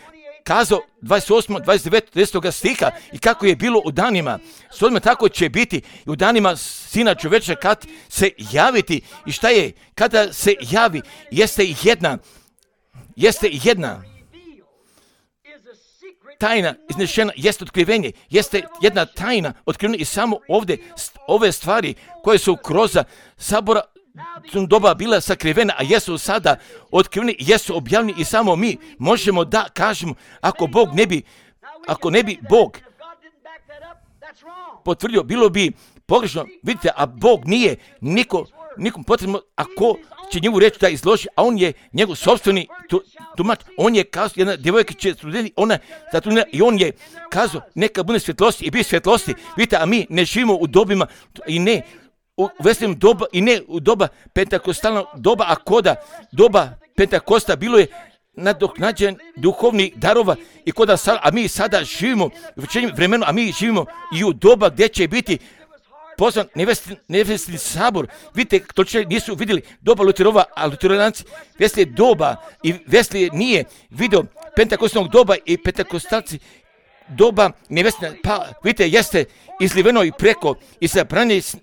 kazao dvadeset osam, dvadeset devet, trideset stiha i kako je bilo u danima Sodome, tako će biti i u danima Sina čovječa kad se javiti. I šta je kada se javi? Jeste jedna, jeste jedna tajna iznešena, jeste otkrivenje, jeste jedna tajna otkrivena i samo ovdje ove stvari koje su kroz sabora doba bila sakrivena, a jesu sada otkriveni, jesu objavljeni i samo mi možemo da kažemo, ako Bog ne bi, ako ne bi Bog potvrdio, bilo bi pogrešno, vidite, a Bog nije niko, nikom potrebno, ako će njemu reći da izloži, a on je njegov sopstveni tumač, on je kazao, jedna djevojka će studenti, ona zatrudnila i on je kazao, neka bude svjetlosti i bi svjetlosti, vidite, a mi ne živimo u dobima i ne u veslim doba i ne u doba pentakostalnog doba, a koda doba Pentakosta bilo je nadoknađen duhovnih darova i koda sad, a mi sada živimo u večernjem vremenu, a mi živimo i u doba gdje će biti pozvan nevestin, nevestin sabor. Vidite, to će nisu vidjeli doba Luterova, a Luteranci Veslije doba i Veslije nije vidio pentakostalnog doba i pentakostalci doba nevestina, pa vidite, jeste izliveno i preko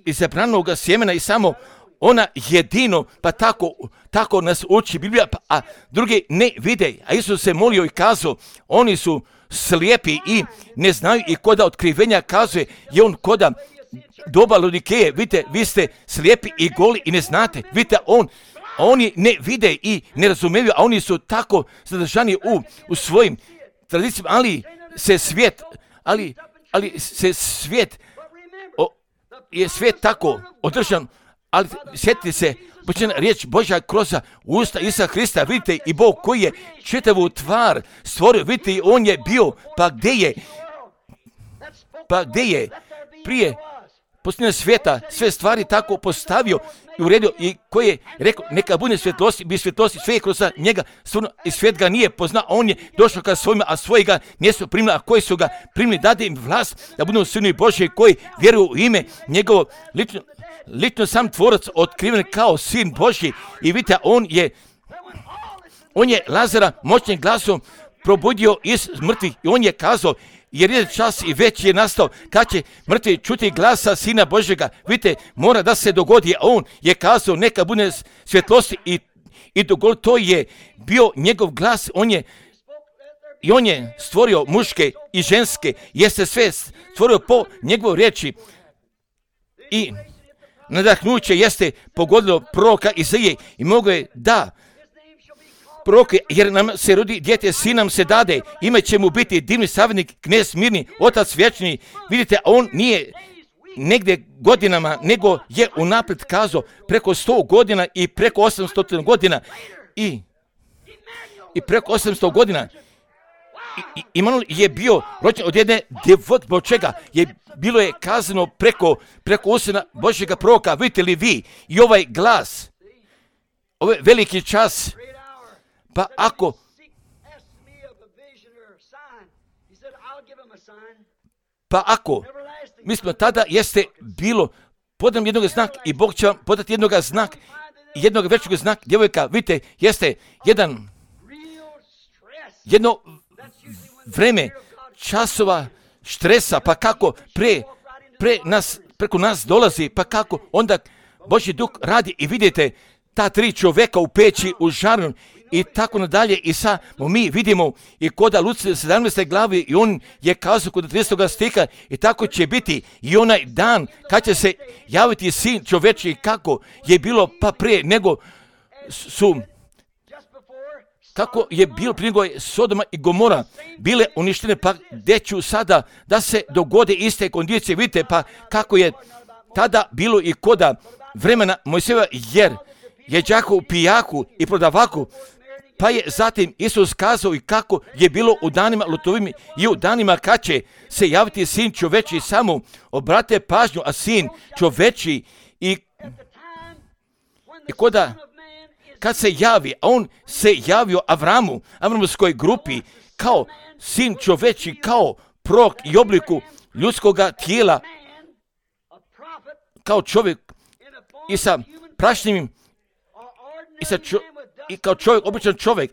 izabranog sjemena i samo ona jedino, pa tako, tako nas uči Biblija, pa, a drugi ne vide. A Isus se molio i kazao, oni su slijepi i ne znaju i koda otkrivenja kazuje, je on koda doba Laodikeje, vidite, vi ste slijepi i goli i ne znate, vidite, on, oni ne vide i ne razumiju, a oni su tako zadržani u, u svojim tradicijama, ali se svijet, ali, ali se svijet, o, je svijet tako održan, ali sjetite se, počinjena riječ Božja kroz usta Isusa Hrista, vidite, i Bog koji je čitavu tvar stvorio, vidite, i on je bio, pa gdje je, pa gdje je prije posljednja svijeta sve stvari tako postavio i uredio i koji je rekao neka bude svjetlosti, bi svjetlosti, sve je kroz njega stvorno i svijet ga nije poznao, on je došao ka svojima, a svoji ga nisu primili, a koji su ga primili, dade im vlast da budu sinovi Božji koji vjeruju u ime njegovo, lično, lično sam tvorac otkriven kao sin Božji i vidite, on je on je Lazara moćnim glasom probudio iz mrtvih i on je kazao, jer je čas i već je nastao kad će mrtvi čuti glasa Sina Božjega. Vidite, mora da se dogodi, a on je kazao neka bude svjetlosti i, i dogod to je bio njegov glas. On je i on je stvorio muške i ženske, jeste sve stvorio po njegovoj riječi i nadahnuće jeste pogodilo proroka Izaije i mogo je da proroke, jer nam se rodi dijete, sin nam se dade, ime će mu biti divni savjetnik, knez mirni, otac vječni. Vidite, on nije negdje godinama, nego je unaprijed kazao preko sto godina i preko osamsto godina i, i preko osamsto godina. I, Imanuel je bio rođen od jedne djevojke, zbog čega je bilo je kazano preko, preko usana Božjega proroka. Vidite li vi i ovaj glas, ovaj veliki čas, pa ako pa ako mi smo tada jeste bilo podam jednog znak i Bog će vam podati jednog znak, jednog većeg znak, djevojka, vidite, jeste jedan jedno vreme časova štresa, pa kako pre, pre nas, preko nas dolazi, pa kako onda Božji duh radi i vidite ta tri čovjeka u peći, u žaru i tako nadalje. I samo mi vidimo i koda Luci sedamnaeste glavi i on je kazao kod tridesetog stiha i tako će biti i onaj dan kad će se javiti sin čovječji, kako je bilo pa prije nego su kako je bilo prije nego je Sodoma i Gomora bile uništene, pa gdje ću sada da se dogode iste kondicije. Vidite pa kako je tada bilo i koda vremena Mojsijeva, jer je đako u pijaku i prodavaku, pa je zatim Isus kazao i kako je bilo u danima Lutovim i u danima kad će se javiti sin čoveči. Samo obrate pažnju, a sin čoveči i, i koda kad se javi, a on se javio Avramu, Avramovskoj grupi, kao sin čoveči, kao prorok i obliku ljudskoga tijela, kao čovjek i sa prašnjivim i, sa čo, i kao čovjek, običan čovjek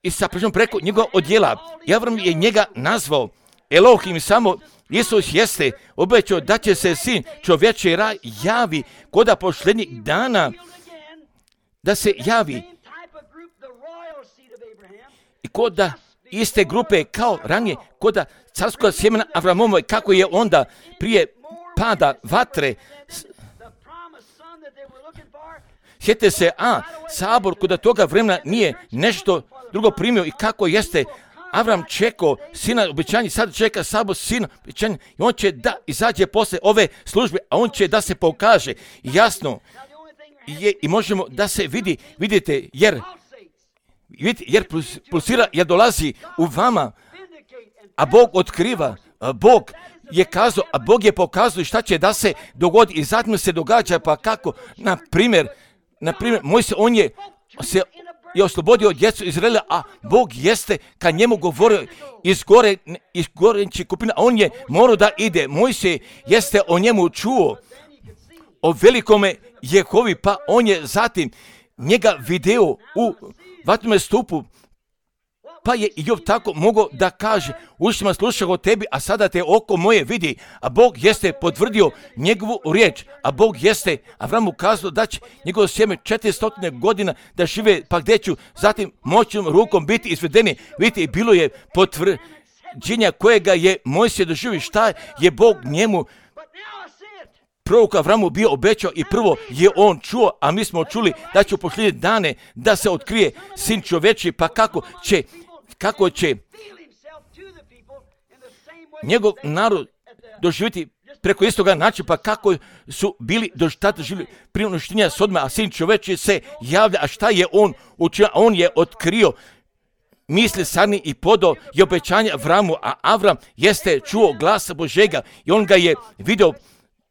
i sa prašnjom preko njegova odjela. I Avram je njega nazvao Elohim. Samo Isus jeste obećao da će se sin čovječi javi koda posljednjih dana, da se javi i koda iste grupe kao ranije, koda carskog sjemena Avramova, kako je onda prije pada vatre. Sjetite se, a sabor koda toga vremena nije nešto drugo primio i kako jeste Avram čekao sina obećanja, sad čeka sabor sina obećanja i on će da izađe posle ove službe, a on će da se pokaže jasno. Je, i možemo da se vidi, vidite, jer, vidite, jer pulsira, jer dolazi u vama, a Bog otkriva, a Bog je kazao, a Bog je pokazao šta će da se dogodi i zatim se događa, pa kako, na primjer, na primjer, Mojsije, on je se je oslobodio djecu Izraela, a Bog jeste kad njemu govorio iz gore, iz goreći kupina, a on je morao da ide. Mojsije jeste o njemu čuo, o velikome Jehovi, pa on je zatim njega video u vatrenome stupu, pa je i Job tako mogao da kaže, ušima slušao o tebi, a sada te oko moje vidi, a Bog jeste potvrdio njegovu riječ, a Bog jeste Avramu kazao da će njegovo sjeme četiristo godina da žive, pa gdje ću zatim moćnom rukom biti izvedeni. Vidite, bilo je potvrđenja kojega je Mojsije doživio, šta je Bog njemu prorok Avramu bio obećao i prvo je on čuo, a mi smo čuli da će u posljednje dane da se otkrije sin čovječi, pa kako će, kako će njegov narod doživjeti preko istoga načina, pa kako su bili tada živjeli prije uništenja Sodome, a sin čovječi se javlja, a šta je on učinio? On je otkrio misli sani i podao je obećanje Avramu, a Avram jeste čuo glasa Božega i on ga je vidio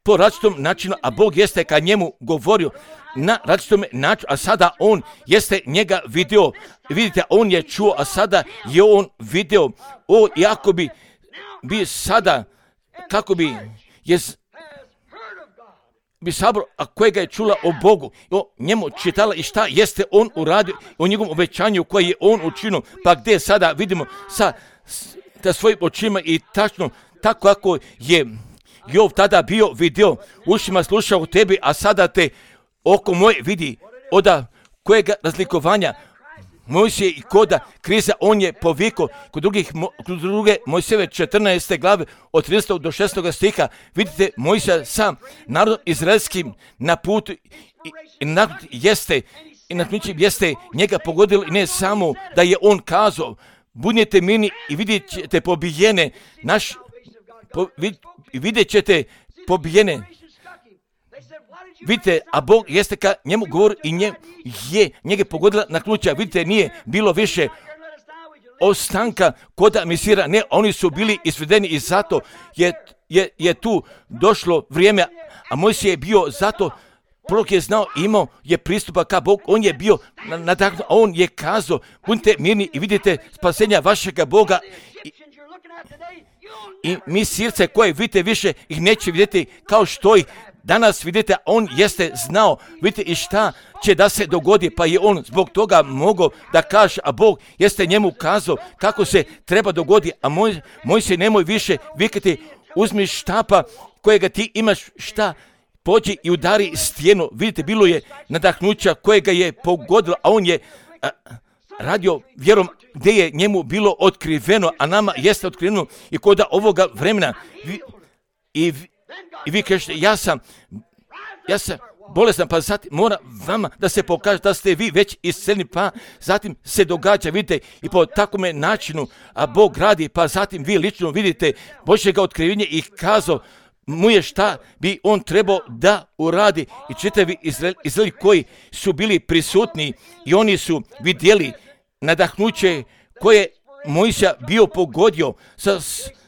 po različitom načinu, a Bog jeste kad njemu govorio na različitom načinu, a sada on jeste njega vidio. Vidite, on je čuo, a sada je on vidio. O, iako bi, bi sada, kako bi, je, bi sabor, a kojega je čula o Bogu, o njemu čitala i šta jeste on uradio, o njegovom obećanju koje je on učinio, pa gdje sada vidimo sa ta svojim očima i tačno tako kako je Jov tada bio vidio, ušima slušao tebi, a sada te oko moje vidi, oda kojega razlikovanja Mojsije i koda kriza, on je povikao kod, drugih, kod druge Mojsijeve četrnaeste glave od trinaestog do šestog stiha. Vidite, Mojsija sam narod izraelskim na putu i, i narod jeste i na ključim jeste njega pogodilo, i ne samo da je on kazao budite mirni i vidjet ćete pobijene naš po, vid, vidjet ćete pobijene. Vidite, a Bog jeste ka njemu govori i nje, je njega pogodila na ključa. Vidite, nije bilo više ostanka koda misira, ne, oni su bili izvedeni i zato je, je, je tu došlo vrijeme, a Mojsije je bio zato, prorok je znao, imao je pristupa ka Bogu, on je bio nadahnuo, a on je kazao, budite mirni i vidite spasenja vašega Boga. I, i mi sirce koje vidite više ih neće vidjeti kao što ih danas vidite, on jeste znao, vidite i šta će da se dogodi, pa je on zbog toga mogao da kaže, a Bog jeste njemu kazao kako se treba dogodi, a moj, moj se nemoj više vikati, uzmi štapa kojega ti imaš, šta, pođi i udari stijenu. Vidite, bilo je nadahnuća kojega je pogodilo, a on je a, radio vjerom gdje je njemu bilo otkriveno, a nama jeste otkriveno i kod ovoga vremena. Vi, i, I vi kažete, ja sam, ja sam bolestan, pa zatim mora vama da se pokaže da ste vi već isceljeni, pa zatim se događa, vidite, i po takvome načinu, a Bog radi, pa zatim vi lično vidite Božjega otkrivenja i kazao mu je šta bi on trebao da uradi. I čitavi Izraeli koji su bili prisutni i oni su vidjeli nadahnuće koje Mojsija bio pogodio sa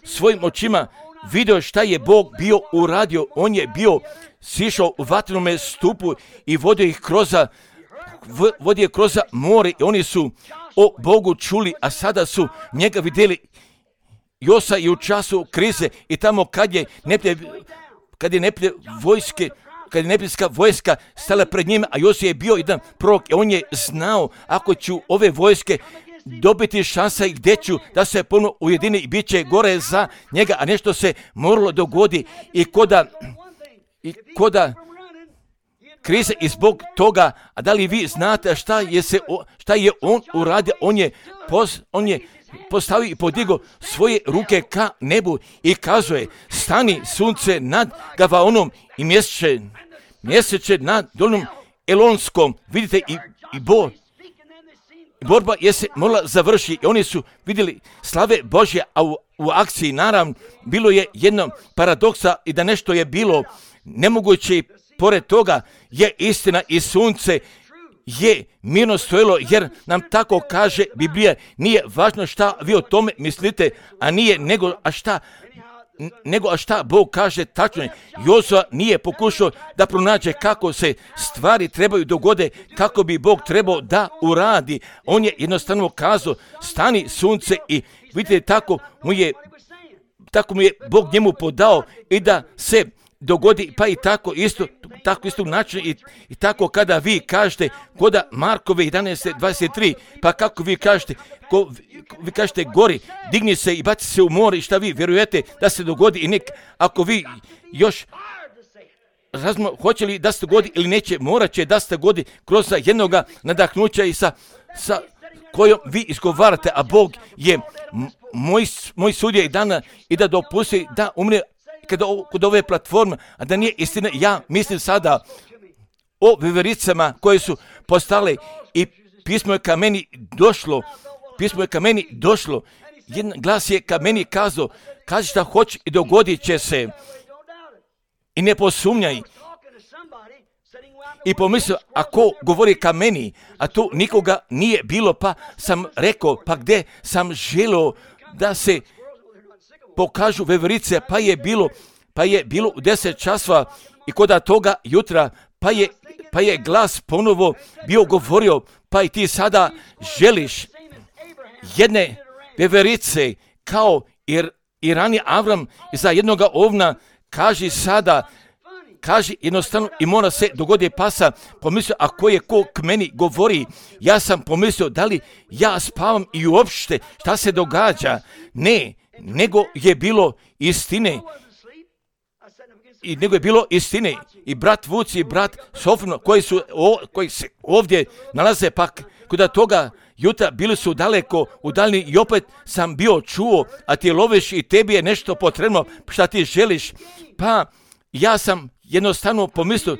svojim očima, vidio šta je Bog bio uradio. On je bio sišao u vatrenome stupu i vodio ih kroz, vodio kroz more i oni su o Bogu čuli, a sada su njega vidjeli Josa i u času krize i tamo kad je neplje, kad je neplje vojske, kad je neprijateljska vojska stala pred njima, a Josa je bio jedan prorok i on je znao ako ću ove vojske dobiti šansa i gdje ću da se ponovno ujedini i bit će gore za njega, a nešto se moralo dogodi i koda, i koda krize i zbog toga, a da li vi znate šta je, se, šta je on uradio, on je, pos, on je postavio i podigao svoje ruke ka nebu i kazuje, stani sunce nad Gavaonom i mjeseče, mjeseče nad dolnom Elonskom. Vidite i, i bo, borba je se morala završiti i oni su vidjeli slave Božje, a u, u akciji naravno bilo je jedno paradoksa i da nešto je bilo nemoguće i pored toga je istina i sunce je mirno stojilo, jer nam tako kaže Biblija, nije važno šta vi o tome mislite, a nije nego a šta nego a šta Bog kaže tačno je. Josua nije pokušao da pronađe kako se stvari trebaju dogode, kako bi Bog trebao da uradi. On je jednostavno kazao, stani sunce i vidite tako mu je, tako mu je Bog njemu podao i da se dogodi, pa i tako isto, tako isto način i, i tako kada vi kažete koda Markove jedanaest dvadeset tri, pa kako vi kažete, ko, vi kažete gori, digni se i baci se u more i šta vi vjerujete da se dogodi i nek, ako vi još razumno, hoće li da se dogodi ili neće, morat će da se dogodi kroz jednoga nadahnuća i sa, sa kojom vi izgovarate, a Bog je moj, moj sudija i dana i da dopusti da umre kada kod ove platforme, a da nije istina. Ja mislim sada o vevericama koje su postale i pismo je ka meni došlo, pismo je ka meni došlo, jedan glas je ka meni kazao, kaži šta hoće i dogodit će se i ne posumnjaj. I pomislio, ako govori ka meni, a tu nikoga nije bilo, pa sam rekao, pa gdje sam želio da se pokažu veverice, pa je bilo, pa je bilo u deset časova i kod toga jutra, pa je, pa je glas ponovo bio govorio, pa i ti sada želiš jedne veverice kao i, i rani Avram za jednoga ovna, kaži sada, kaži jednostavno i mora se dogodi, pa sam pomislio, ako je ko k meni govori, ja sam pomislio da li ja spavam i uopšte šta se događa. Ne, nego je bilo istine. I nego je bilo istine. I brat Vuc i brat Sofno koji, su, o, koji se ovdje nalaze pak kod toga jutra bili su daleko udaljeni i opet sam bio čuo, a ti loviš i tebi je nešto potrebno šta ti želiš. Pa ja sam jednostavno pomislio,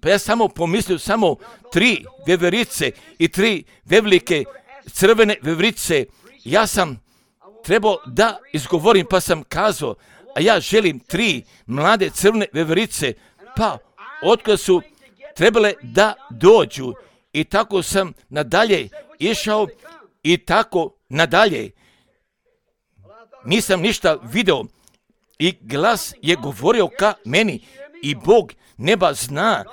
pa ja samo pomislio samo tri veverice i tri velike crvene veverice. Ja sam trebao da izgovorim pa sam kazao, a ja želim tri mlade crvene veverice, pa otkada su trebale da dođu. I tako sam nadalje išao i tako nadalje. Nisam ništa video i glas je govorio ka meni i Bog neba zna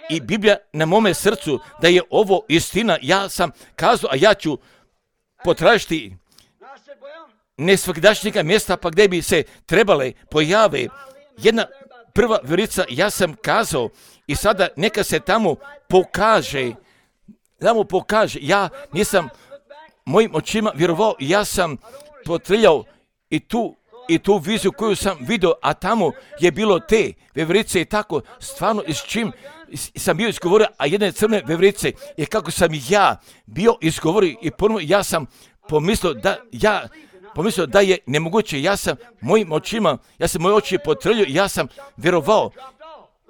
i Biblija na mome srcu da je ovo istina. Ja sam kazao, a ja ću potražiti nesvakdašnjega mjesta pa gdje bi se trebale pojave jedna prva veverica. Ja sam kazao i sada neka se tamo pokaže, da mu pokaže. Ja nisam mojim očima vjerovao, ja sam potrljao i tu i tu viziju koju sam vidio, a tamo je bilo te veverice i tako stvarno s čim sam bio izgovorio, a jedne crne veverice je kako sam ja bio izgovorio i ponovno ja sam pomislio da ja pomislio da je nemoguće. Ja sam mojim očima, ja sam moje oči potrljio i ja sam vjerovao.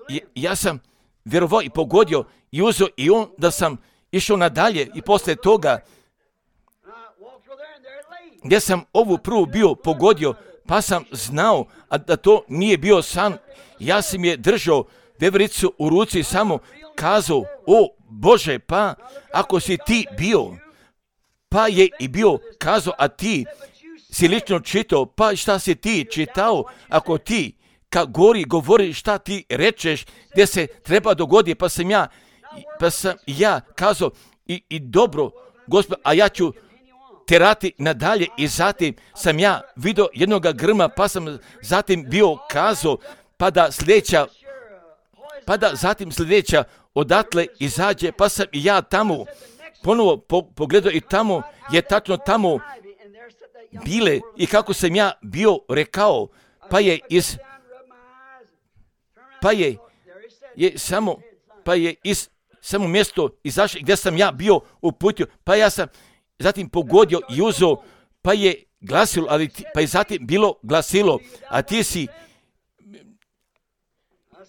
I, ja sam vjerovao i pogodio i uzeo i onda sam išao nadalje i poslije toga gdje sam ovu prvu bio pogodio, pa sam znao a da to nije bio san. Ja sam je držao vevericu u ruci i samo kazao, o Bože, pa ako si ti bio, pa je i bio kazao, a ti si lično čitao, pa šta si ti čitao, ako ti ka gori govori šta ti rečeš, gdje se treba dogoditi, pa sam ja, pa sam ja kazao, i, i dobro, Gospod, a ja ću terati nadalje i zatim sam ja vidio jednoga grma, pa sam zatim bio kazao, pa da sljedeća, pa da zatim sljedeća odatle izađe, pa sam i ja tamo ponovo po, pogledao i tamo je tačno tamo bile i kako sam ja bio rekao, pa je iz, pa je, je samo, pa je iz samo mjesto izašao gdje sam ja bio uputio, pa ja sam zatim pogodio i uzeo, pa je glasilo, ali ti, pa je zatim bilo glasilo, a ti si,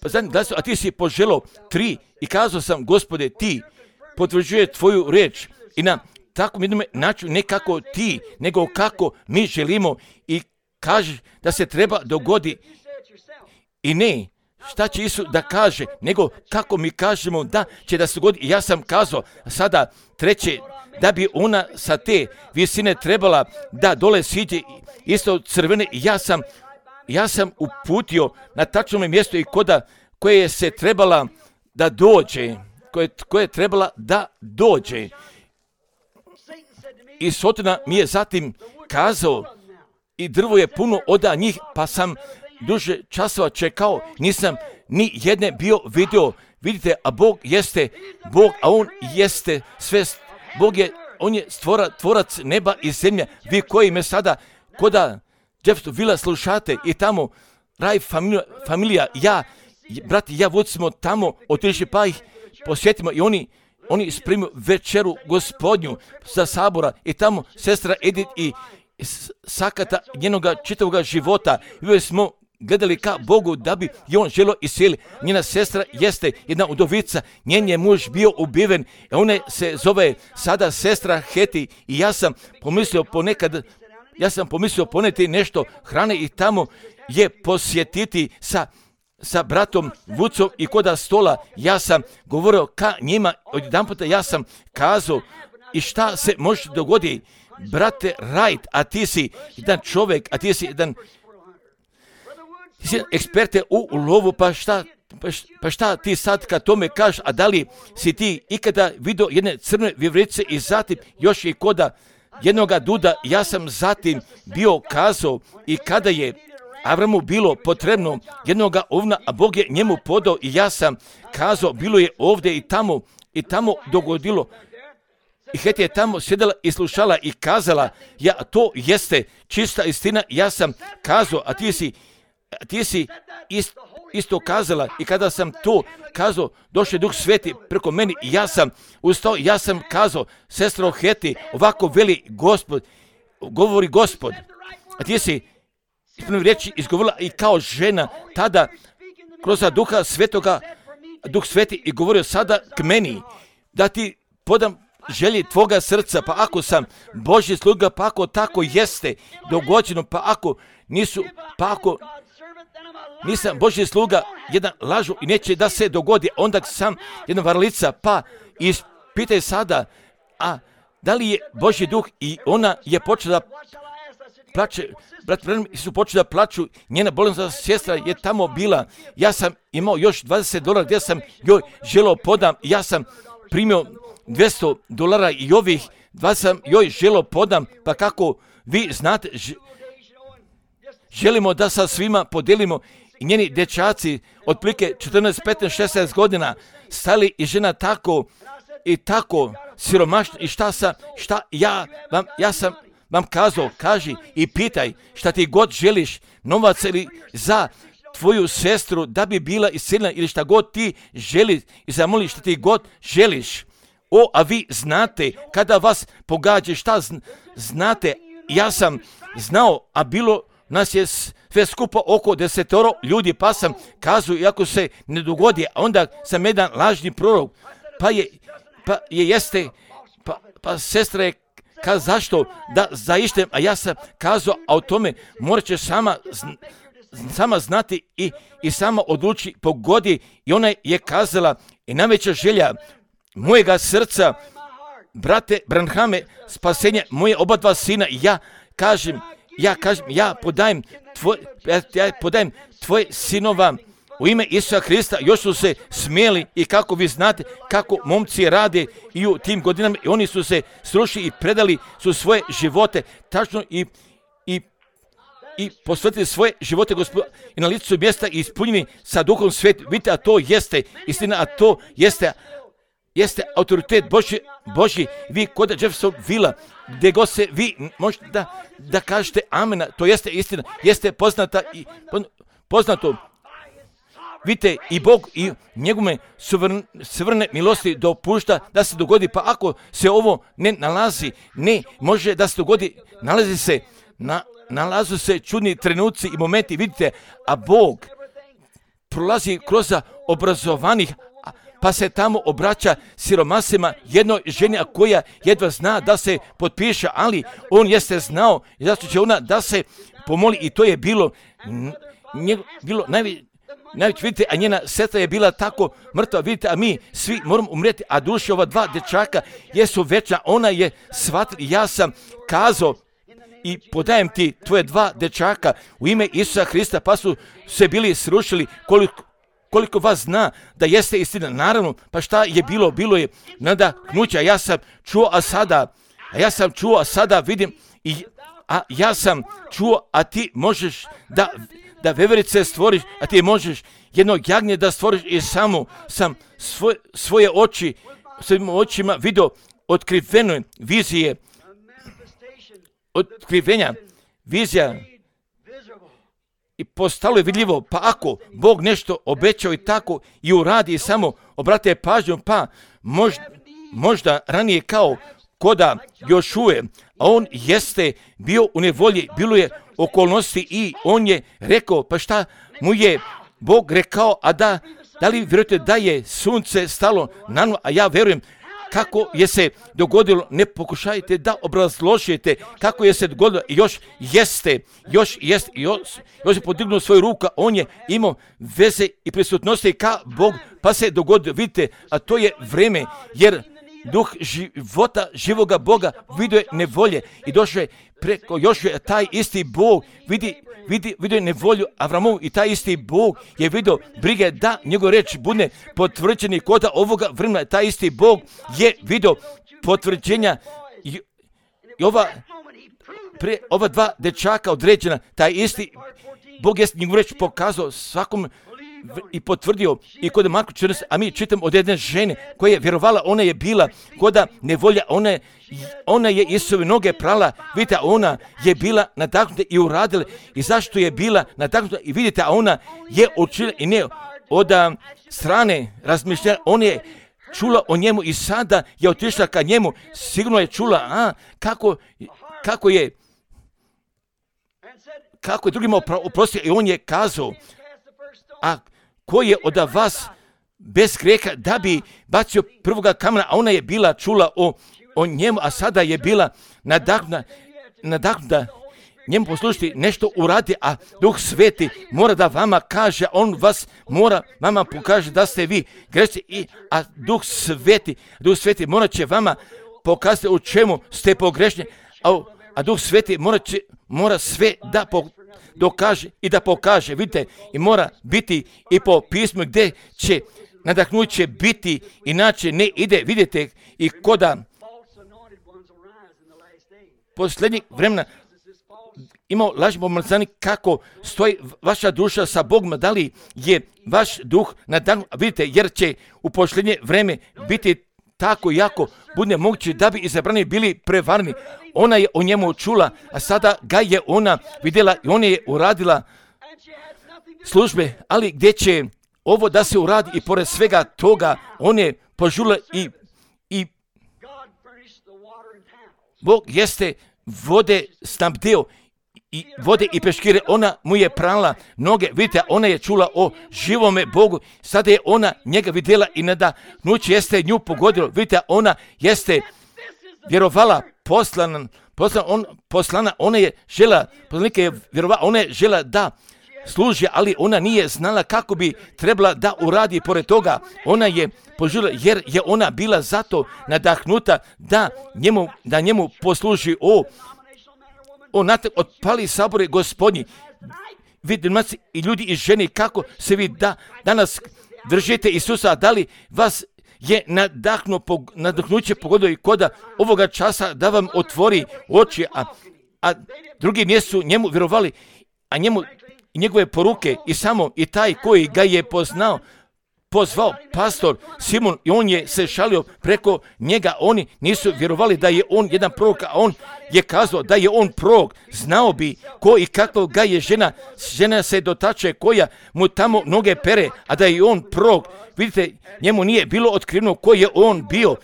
pa zatim glasilo, a ti si poželio tri i kazao sam, Gospode, ti potvrđuje tvoju reč i na takvom jednom načinu ne kako ti, nego kako mi želimo i kaže da se treba dogodi i ne šta će Isus da kaže, nego kako mi kažemo da će da se dogodi. I ja sam kazao sada treće, da bi ona sa te visine trebala da dole siđe isto crvene i ja sam, ja sam uputio na tačnom mjestu i koda koje je se trebala da dođe, koje, koje je trebala da dođe. I Sotona mi je zatim kazao i drvo je puno oda njih, pa sam duže časova čekao, nisam ni jedne bio vidio. Vidite, a Bog jeste Bog, a On jeste sve. Bog je, On je stvora, tvorac neba i zemlje. Vi koji me sada koda Jeffersonville slušate i tamo Raj familija, familija ja, brati, ja Vuc smo tamo otišli pa ih posjetimo i oni Oni spremio večeru Gospodnju sa sabora i tamo sestra Edith i sakata njenoga čitavoga života. I uvijek smo gledali ka Bogu da bi i on želio iseli. Njena sestra jeste jedna udovica, njen je muž bio ubiven, a ona se zove sada sestra Heti i ja sam pomislio ponekad, ja sam pomislio poneti nešto hrane i tamo je posjetiti sa sa bratom Vucom i koda stola, ja sam govorio ka njima, odjedan puta ja sam kazao i šta se može dogoditi, brate Wright, a ti si jedan čovjek, a ti si jedan, ti si eksperte u lovu, pa šta, pa šta ti sad kad tome kažeš, a da li si ti ikada vidio jedne crne vjeverice i zatim još i koda jednoga duda, ja sam zatim bio kazao i kada je Avramu bilo potrebno jednoga ovna, a Bog je njemu podao i ja sam kazao, bilo je ovdje i tamo i tamo dogodilo. I Heti je tamo sjedala i slušala i kazala, ja, to jeste čista istina, ja sam kazao, a ti si, a ti si ist, isto kazala. I kada sam to kazao, došao je Duh Sveti preko meni i ja sam ustao, ja sam kazao, sestro Heti, ovako veli Gospod, govori Gospod, a ti si ispravno riječi izgovorila i kao žena tada kroz Duha Svetoga, Duh Sveti i govorio sada k meni, da ti podam želje tvoga srca, pa ako sam Božji sluga, pa ako tako jeste dogođeno, pa ako nisu, pa ako nisam Božji sluga, jedan lažu i neće da se dogodi, onda sam jedna varalica, pa ispitaj sada, a da li je Božji duh i ona je počela da plače, brat Branham su počeli da plaču, njena bolesna sestra je tamo bila, ja sam imao još dvadeset dolara gdje sam joj želeo podam, ja sam primio dvjesto dolara i ovih dvadeset sam joj želeo podam, pa kako vi znate, želimo da sa svima podelimo i njeni dječaci otprilike četrnaest, petnaest, šesnaest godina stali i žena tako i tako siromašna i šta sam, šta ja vam, ja sam vam kazao, kaži i pitaj šta ti god želiš, novac ili za tvoju sestru da bi bila isceljena ili šta god ti želiš i zamoli šta ti god želiš. O, a vi znate, kada vas pogađa, šta znate, ja sam znao, a bilo nas je sve skupa oko desetoro ljudi, pa sam kazao, iako se ne dogodi, a onda sam jedan lažni prorok, pa je, pa je jeste, pa, pa sestra je kazao zašto da zaištem, a ja sam kazao, a o tome morat ćeš sama, sama znati i, i sama odluči pogodi i ona je kazala i najveća želja mojega srca, brate Branhame, spasenje moje oba dva sina, ja kažem, ja kažem, ja podajem tvoj, ja podajem tvoje sinova u ime Isusa Hrista. Još su se smijeli i kako vi znate kako momci rade i u tim godinama i oni su se srušili i predali su svoje živote tačno i, i, i posvetili svoje živote Gospodu i na licu mjesta ispunjeni sa Duhom Svetim. Vidite, a to jeste istina, a to jeste jeste autoritet Božji, Božji. Vi kod Jeffersonville, gdje god se vi možete da, da kažete amena, to jeste istina, jeste poznata i poznato. Vidite, i Bog i njegove suvrne milosti dopušta da se dogodi, pa ako se ovo ne nalazi, ne može da se dogodi, nalazi se, na, nalazu se čudni trenuci i momenti, vidite, a Bog prolazi kroz obrazovanih, pa se tamo obraća siromasima jednoj ženi koja jedva zna da se potpiše, ali on jeste znao i zato će ona da se pomoli i to je bilo, nje, bilo najveće, najveće, vidite, a njena sestra je bila tako mrtva, vidite, a mi svi moramo umrijeti, a duše ova dva dječaka jesu večna, ona je shvatila, ja sam kazao i podajem ti tvoje dva dječaka u ime Isusa Hrista, pa su se bili srušili. Koliko Koliko vas zna da jeste istina? Naravno, pa šta je bilo? Bilo je nadahnuća, ja sam čuo, a sada, a ja sam čuo, a sada vidim, i, a ja sam čuo, a ti možeš da, da veverice stvoriš, a ti možeš jednog jagnje da stvoriš i samo sam svoj, svoje oči, svojim očima vidio otkrivene vizije, otkrivenja, vizija, i postalo je vidljivo, pa ako Bog nešto obećao i tako i uradi i samo obrate pažnju, pa možda, možda ranije kao koda Jošuje, a on jeste bio u nevolji, bilo je okolnosti i on je rekao, pa šta mu je Bog rekao, a da, da li vjerujete da je sunce stalo na nulu, a ja vjerujem kako je se dogodilo, ne pokušajte da obrazložite kako je se dogodilo, još jeste, još jeste, još, još je podignuo svoju ruku, on je imao veze i prisutnosti ka Bog, pa se dogodilo, vidite, a to je vreme, jer duh života živoga Boga vidio je nevolje i došao je preko još je taj isti Bog, vidi, vidi, vidio je nevolju Avramovu i taj isti Bog je vidio brige da njegov reč bude potvrđeni kod ovoga vremena. Taj isti Bog je vidio potvrđenja i, i ova, pre, ova dva dečaka određena, taj isti Bog je njegov reč pokazao svakom i potvrdio i kod Marko četrnaest, a mi čitam od jedne žene koja je vjerovala, ona je bila koda nevolja, ona je, ona je Isove noge prala, vidite, ona je bila nadahnuta i uradila. I zašto je bila nadahnuta? I vidite, a ona je učila i ne od strane razmišljanja, ona je čula o njemu i sada je otišla ka njemu, sigurno je čula, a kako, kako je, kako je drugima oprostio i on je kazao, a ko je od vas bez grijeha da bi bacio prvoga kamena, a ona je bila čula o, o njemu, a sada je bila nadahnuta, nadahnuta njemu poslušati, nešto uradi, a Duh Sveti mora da vama kaže, on vas mora vama pokaže da ste vi grešni, i a Duh Sveti, Duh Sveti mora će vama pokazati u čemu ste pogrešni, a, a Duh Sveti mora, će, mora sve da po, dokaže i da pokaže, vidite, i mora biti i po pismu gdje će nadahnuće biti, inače ne ide, vidite, i koda posljednjeg vremena imao lažni pomazani, kako stoji vaša duša sa Bogom, da li je vaš duh nadahnut, vidite, jer će u posljednje vreme biti tako jako bude moguće da bi izabrani bili prevarni. Ona je o njemu čula, a sada ga je ona vidjela i ona je uradila službe, ali gdje će ovo da se uradi i pored svega toga, on je požurila i, i Bog jeste vode snabdeo i vode i peškire, ona mu je prala noge, vidite, ona je čula o živome Bogu, sada je ona njega vidjela i nadahnuće jeste nju pogodilo, vidite, ona jeste vjerovala poslana, poslana, on, poslana, ona je žela, poslanika je vjerovala, ona je žela da služi, ali ona nije znala kako bi trebala da uradi. Pored toga, ona je požurila, jer je ona bila zato nadahnuta da njemu, da njemu posluži. O, o natak otpali sabore Gospodnji, vidimo i ljudi i žene, kako se vi da danas držite Isusa, da li vas je nadahnu, nadahnuće pogodilo i koda ovoga časa da vam otvori oči, a, a drugi nisu njemu vjerovali, a njemu i njegove poruke i samo i taj koji ga je poznao, pozvao pastor Simon i on je se šalio preko njega, oni nisu vjerovali da je on jedan prorok, a on je kazao da je on prorok, znao bi ko i kako ga je žena, žena se dotače koja mu tamo noge pere, a da je on prorok. Vidite, njemu nije bilo otkriveno ko je on bio,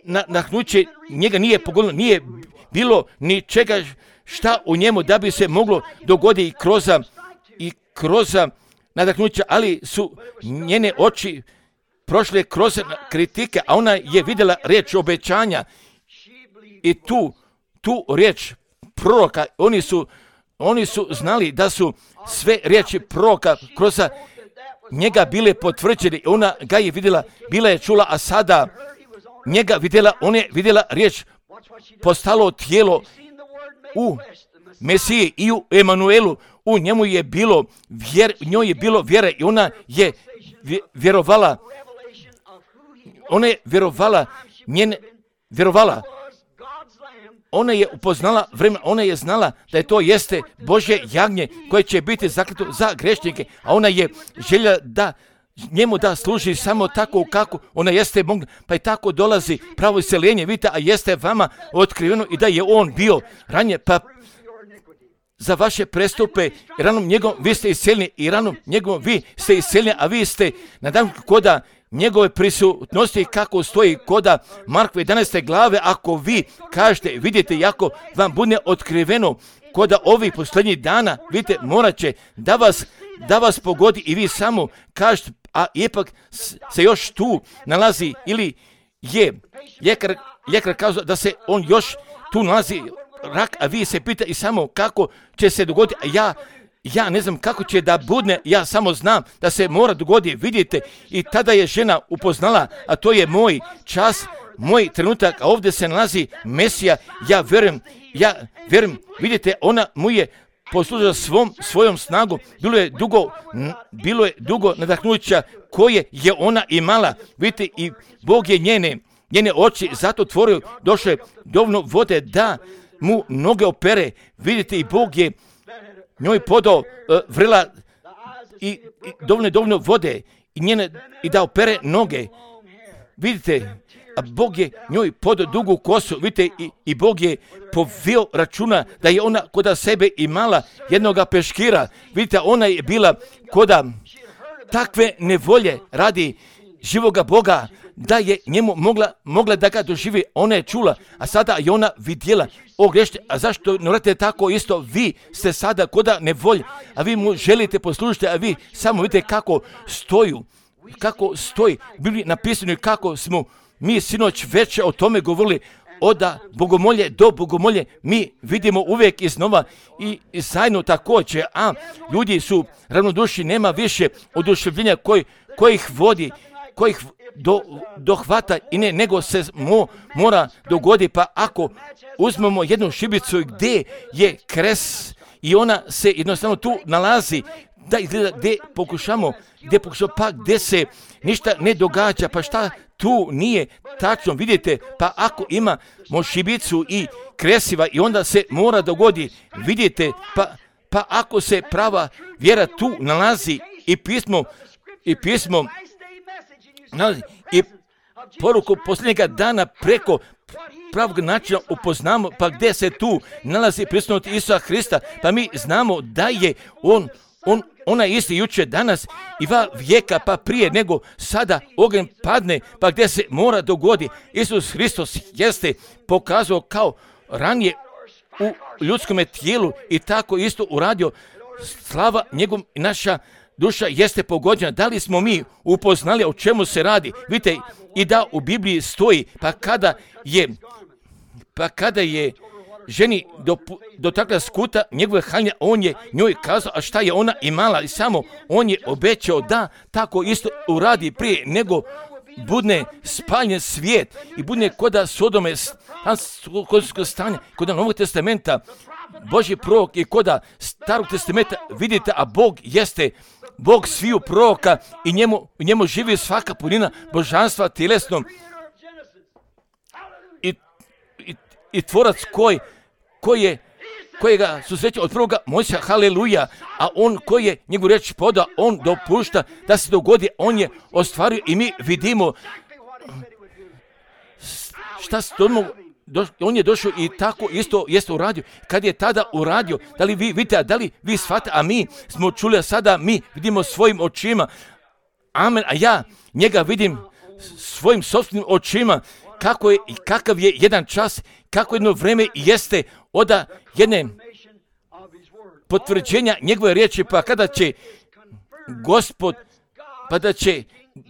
nadahnuće njega nije pogodilo, nije bilo ni čega šta u njemu da bi se moglo dogoditi i kroz, i kroz nadahnuća, ali su njene oči prošle kroz kritike, a ona je vidjela riječ obećanja i tu, tu riječ proroka, oni su, oni su znali da su sve riječi proroka kroz njega bile potvrđene, ona ga je vidjela, bila je čula, a sada njega vidjela, ona je vidjela riječ postalo tijelo u Mesiji i u Emanuelu, u njemu je bilo vjer, njoj je bilo vjere i ona je vjerovala, ona je vjerovala, njene, vjerovala, ona je upoznala vremena, ona je znala da je to jeste Božje jagnje koje će biti zaklito za grešnike, a ona je željela da njemu da služi samo tako kako ona jeste mogla, pa i tako dolazi pravo iseljenje, vidite, a jeste vama otkriveno i da je on bio ranije, pa za vaše prestupe i ranom njegovom vi ste iseljeni i ranom njegovom vi ste iseljeni, a vi ste na dan koda njegove prisutnosti kako stoji koda Markove jedanaeste glave, ako vi kažete, vidite, jako vam bude otkriveno koda ovih posljednjih dana, vidite, morat će da vas, da vas pogodi i vi samo kažete, a ipak se još tu nalazi ili je ljekar, ljekar kazao da se on još tu nalazi rak, a vi se pita i samo kako će se dogoditi, a ja, ja ne znam kako će da budne, ja samo znam da se mora dogoditi, vidite, i tada je žena upoznala, a to je moj čas, moj trenutak, a ovdje se nalazi Mesija, ja vjerujem, ja vjerujem, vidite, ona mu je poslužila svom, svojom snagom, bilo je dugo, bilo je dugo nadahnuća koje je ona imala, vidite, i Bog je njene, njene oči zato otvorio, došle dovoljno vode da mu noge opere, vidite, i Bog je njoj podao uh, vrela i, i dovoljno, dovoljno vode i, njene, i da opere noge. Vidite, a Bog je njoj podao dugu kosu, vidite, i, i Bog je povio računa da je ona koda sebe imala jednoga peškira. Vidite, ona je bila koda takve nevolje radi živoga Boga, da je njemu mogla, mogla da ga doživi. Ona je čula, a sada je ona vidjela. O grešće, a zašto ne radite tako isto? Vi ste sada koda nevolje, a vi mu želite poslušati, a vi samo vidite kako stoju, kako stoji. Bili napisano kako smo mi sinoć već o tome govorili, od bogomolje do bogomolje mi vidimo uvijek iznova i, i zajedno također, a ljudi su ravnodušni, nema više oduševljenja koji, koji ih vodi, koji ih do, dohvata i ne, nego se mo, mora dogodi. Pa ako uzmemo jednu šibicu gdje je kres i ona se jednostavno tu nalazi, da izgleda gdje pokušamo, gdje pokušamo, pa gdje se ništa ne događa, pa šta tu nije tačno, vidite, pa ako ima šibicu i kresiva i onda se mora dogodi, vidite, pa, pa ako se prava vjera tu nalazi i pismo, i pismo nalazi, i poruku posljednjega dana preko pravog načina upoznamo, pa gdje se tu nalazi prisutnost Isusa Hrista, pa mi znamo da je on, on ona je isti jučer, danas i va vijeka, pa prije nego sada ogen padne, pa gdje se mora dogodi. Isus Hristos jeste pokazao kao ranije u ljudskom tijelu i tako isto uradio. Slava njegov, naša duša jeste pogođena. Da li smo mi upoznali o čemu se radi? Vidite, i da u Bibliji stoji, pa kada je, pa kada je ženi dotakla skuta njegove haljine, on je njoj kazao, a šta je ona imala, i samo on je obećao da tako isto uradi prije nego budne spaljen svijet i budne koda Sodome kod stanja, koda Novog testamenta, Božji prorok i koda Starog testamenta, vidite, a Bog jeste Bog sviju proroka i njemu, njemu živi svaka punina božanstva tjelesnom i, i, i tvorac koji koji je, kojega susreće od prvoga Mojsija, haleluja, a on koji je njegovu riječ podao, on dopušta da se dogodi, on je ostvario i mi vidimo šta se tomu, on je došao i tako isto jeste uradio. Kad je tada uradio, da li vi vidite, da li vi shvatite, a mi smo čuli, a sada mi vidimo svojim očima, amen, a ja njega vidim svojim sopstvenim očima, kako je i kakav je jedan čas, kako jedno vrijeme jeste od jedne potvrđenja njegove riječi, pa kada će Gospod, pa da će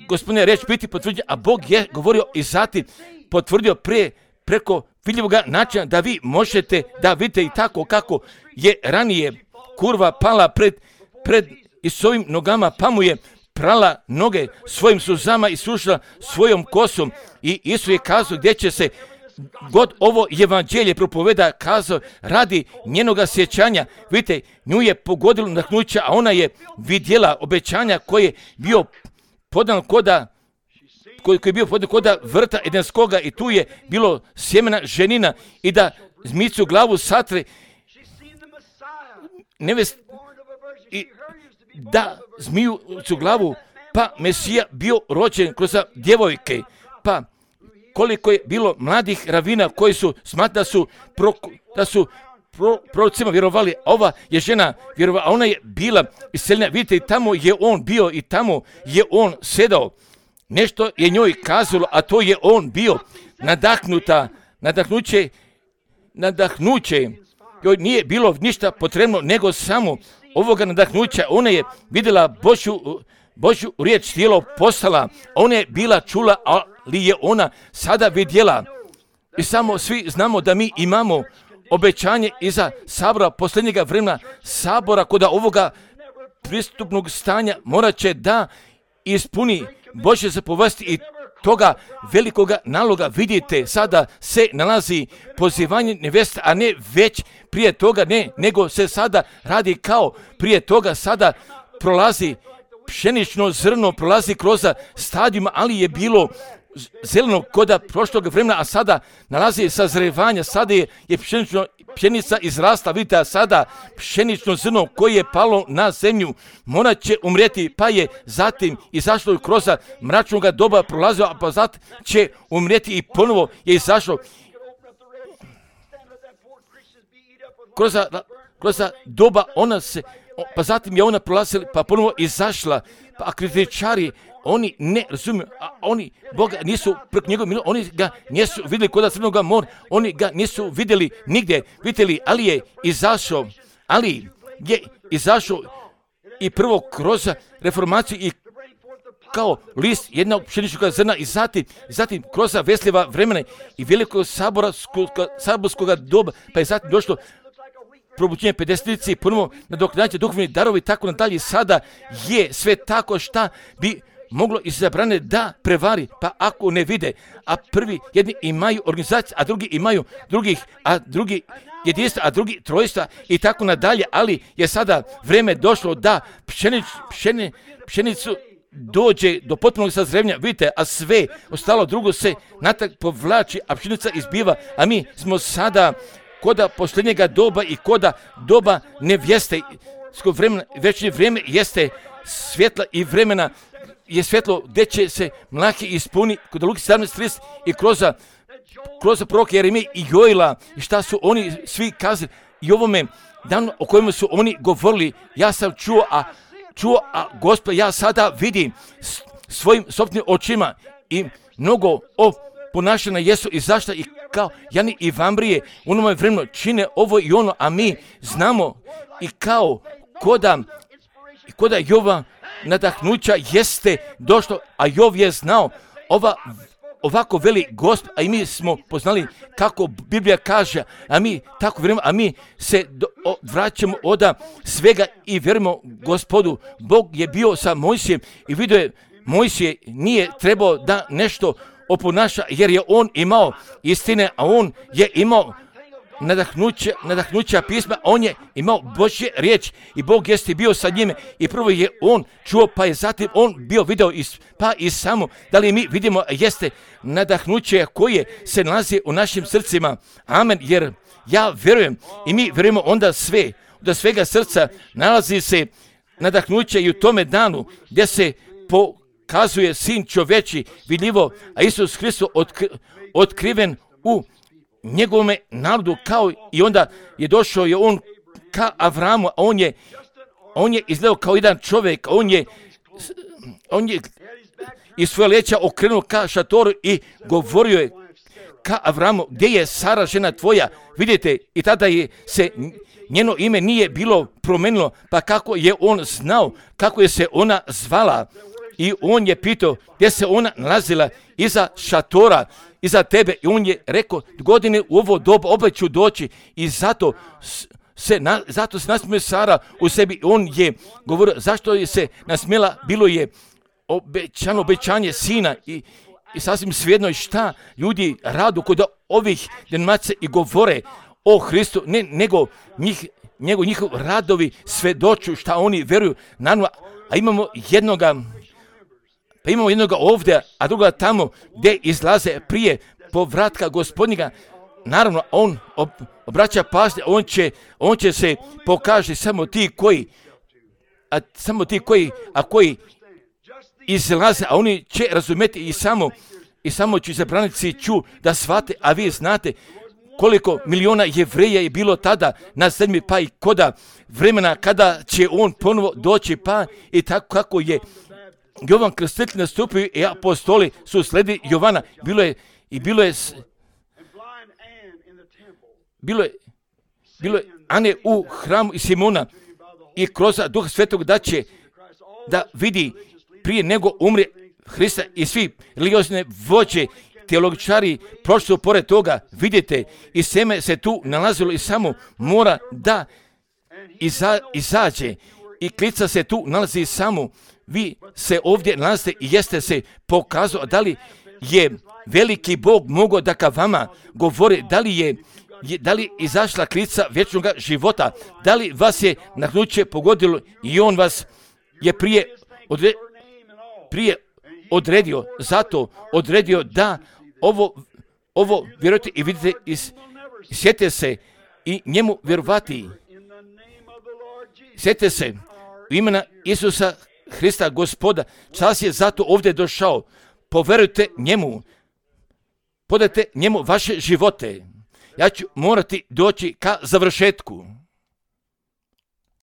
Gospodina riječ biti potvrđena, a Bog je govorio i zatim potvrdio prije preko vidljivog načina da vi možete da vidite i tako kako je ranije kurva pala pred, pred Isusovim nogama, pa mu je prala noge svojim suzama i sušila svojom kosom i Isus je kazao gdje će se god ovo evanđelje propoveda, kazao radi njenoga sjećanja. Vidite, nju je pogodilo nadahnuće, a ona je vidjela obećanja koje je bio podan koda koji je bio podan koda vrta edenskoga i tu je bilo sjemena ženina i da zmicu glavu satre nevest i da zmiju su glavu, pa Mesija bio rođen kroz djevojke, pa koliko je bilo mladih ravina koji su smatrali da su, pro, da su pro, prorocima vjerovali, ova je žena vjerovala, a ona je bila iseljena. Vidite, i tamo je on bio i tamo je on sedao. Nešto je njoj kazalo, a to je on bio nadahnuta, nadahnuće, nadahnuće. Joj nije bilo ništa potrebno nego samo ovoga nadahnuća. Ona je vidjela Božju, Božju riječ tijelo postala, ona je bila čula, ali je ona sada vidjela. I samo svi znamo da mi imamo obećanje iza sabora posljednjega vremena, sabora kod ovoga pristupnog stanja morat će da ispuni Božje zapovesti i toga velikoga naloga. Vidite, sada se nalazi pozivanje neveste, a ne već prije toga, ne, nego se sada radi kao prije toga, sada prolazi pšenično zrno, prolazi kroz stadijuma, ali je bilo zeleno koda prošlog vremena, a sada nalazi sazrevanja, sada je, je pšenično pšenica izrasta, vidite, a sada pšenično zrno koje je palo na zemlju, morat će umrijeti, pa je zatim izašlo kroz mračnog doba prolazio, a pa zatim će umrijeti i ponovo je izašlo kroz, kroz doba, ona se, pa zatim je ona prolazila, pa ponovo izašla, pa kritičari, oni ne razumiju, a oni Boga nisu preko njegove milosti, oni ga nisu vidjeli kod Crnoga mora, oni ga nisu vidjeli nigdje, vidjeli, ali je izašao, ali je izašao i prvo kroz reformaciju i kao list jednog pšeničnog zrna i zatim, zatim kroz vesljiva vremena i velikog saborskog doba, pa je zatim došlo probuđenje pedesetici, ponovo nadoknađenje duhovni darovi i tako nadalje. Sada je sve tako šta bi moglo izabrane da prevari, pa ako ne vide, a prvi jedni imaju organizaciju, a drugi imaju drugih, a drugi jedinstva, a drugi trojstva i tako nadalje, ali je sada vreme došlo da pšenic, pšeni, pšenicu dođe do potpunog sazrevanja, vidite, a sve ostalo drugo se natrag povlači, a pšenica izbiva, a mi smo sada koda posljednjega doba i koda doba nevjeste, vremena, već vrijeme jeste svjetla i vremena je svjetlo gdje će se Mlahi ispuni kod Luki sedamnaest trideset i kroz, kroz proroka Jeremije i Joila i šta su oni svi kazali i ovome danu o kojemu su oni govorili, ja sam čuo, a čuo, a Gospod, ja sada vidim svojim sopstvenim očima i mnogo o ponašanja jesu i zašta i kao Jani i Vambrije u onome vremenu čine ovo i ono, a mi znamo i kao koda, koda Jova nadahnuća jeste došlo, a Jov je znao ova, ovako veli Gospod, a i mi smo poznali kako Biblija kaže, a mi tako vjerujemo, a mi se do, o, vraćamo od svega i vjerujemo Gospodu. Bog je bio sa Mojsijem i vidio je, Mojsije nije trebao da nešto oponaša, jer je on imao istine, a on je imao nadahnuća, nadahnuća pisma, on je imao Božje riječ i Bog jeste bio sa njime i prvo je on čuo, pa je zatim on bio video, is, pa i samo, da li mi vidimo jeste nadahnuće koje se nalazi u našim srcima. Amen, jer ja vjerujem i mi vjerujemo onda sve, do svega srca nalazi se nadahnuće i u tome danu gdje se pokazuje Sin čoveči vidljivo, a Isus Hristos otkri, otkriven u njegovome narodu, kao i onda je došao je on ka Avramu, a on je, on je izgledao kao jedan čovjek, on je, on je iz svoje leća okrenuo ka šatoru i govorio je ka Avramu, gdje je Sara žena tvoja, vidite, i tada je se njeno ime nije bilo promenilo, pa kako je on znao, kako je se ona zvala i on je pitao gdje se ona nalazila iza šatora, iza tebe i on je rekao godine u ovo dobu opet ću doći i zato se, na, zato se nasmije Sara u sebi. On je govorio zašto je se nasmijela, bilo je obećano obećanje sina i, i sasvim svejedno šta ljudi radu kod ovih denominacija i govore o Hristu, ne, nego njih, njegov, njihov radovi svedoču šta oni vjeruju. Naravno, a imamo jednoga Pa imamo jednoga ovdje, a druga tamo gdje izlaze prije povratka Gospodnjega. Naravno, on ob, obraća pažnju, on će, on će se pokaže samo ti koji, a samo ti koji, a koji izlaze, a oni će razumjeti i samo, i samo ću zabranici ću da shvate, a vi znate koliko miliona Jevreja je bilo tada na zemlji, pa i koda vremena kada će on ponovo doći, pa i tako kako je Jovan Krstitelj nastupio i apostoli su slijedi Jovana. Bilo je i bilo je bilo je bilo je Ane u hramu i Simona i kroz Duha Svetog da će da vidi prije nego umre Hrista i svi religiozne vođe, teologičari prošli pored toga, vidite, i seme se tu nalazilo i samo mora da iza, izađe i klica se tu nalazi samo. Vi se ovdje nalazite i jeste se pokazao, da li je veliki Bog mogao da ka vama govori, da li je, je da li izašla klica vječnog života, da li vas je nadahnuće pogodilo i on vas je prije, odre, prije odredio, zato odredio da ovo, ovo vjerujte i vidite, i sjetite se i njemu vjerovati. Sjetite se, u imena Isusa Hrista Gospoda, čas je zato ovdje došao. Poverujte njemu, podajte njemu vaše živote. Ja ću morati doći ka završetku.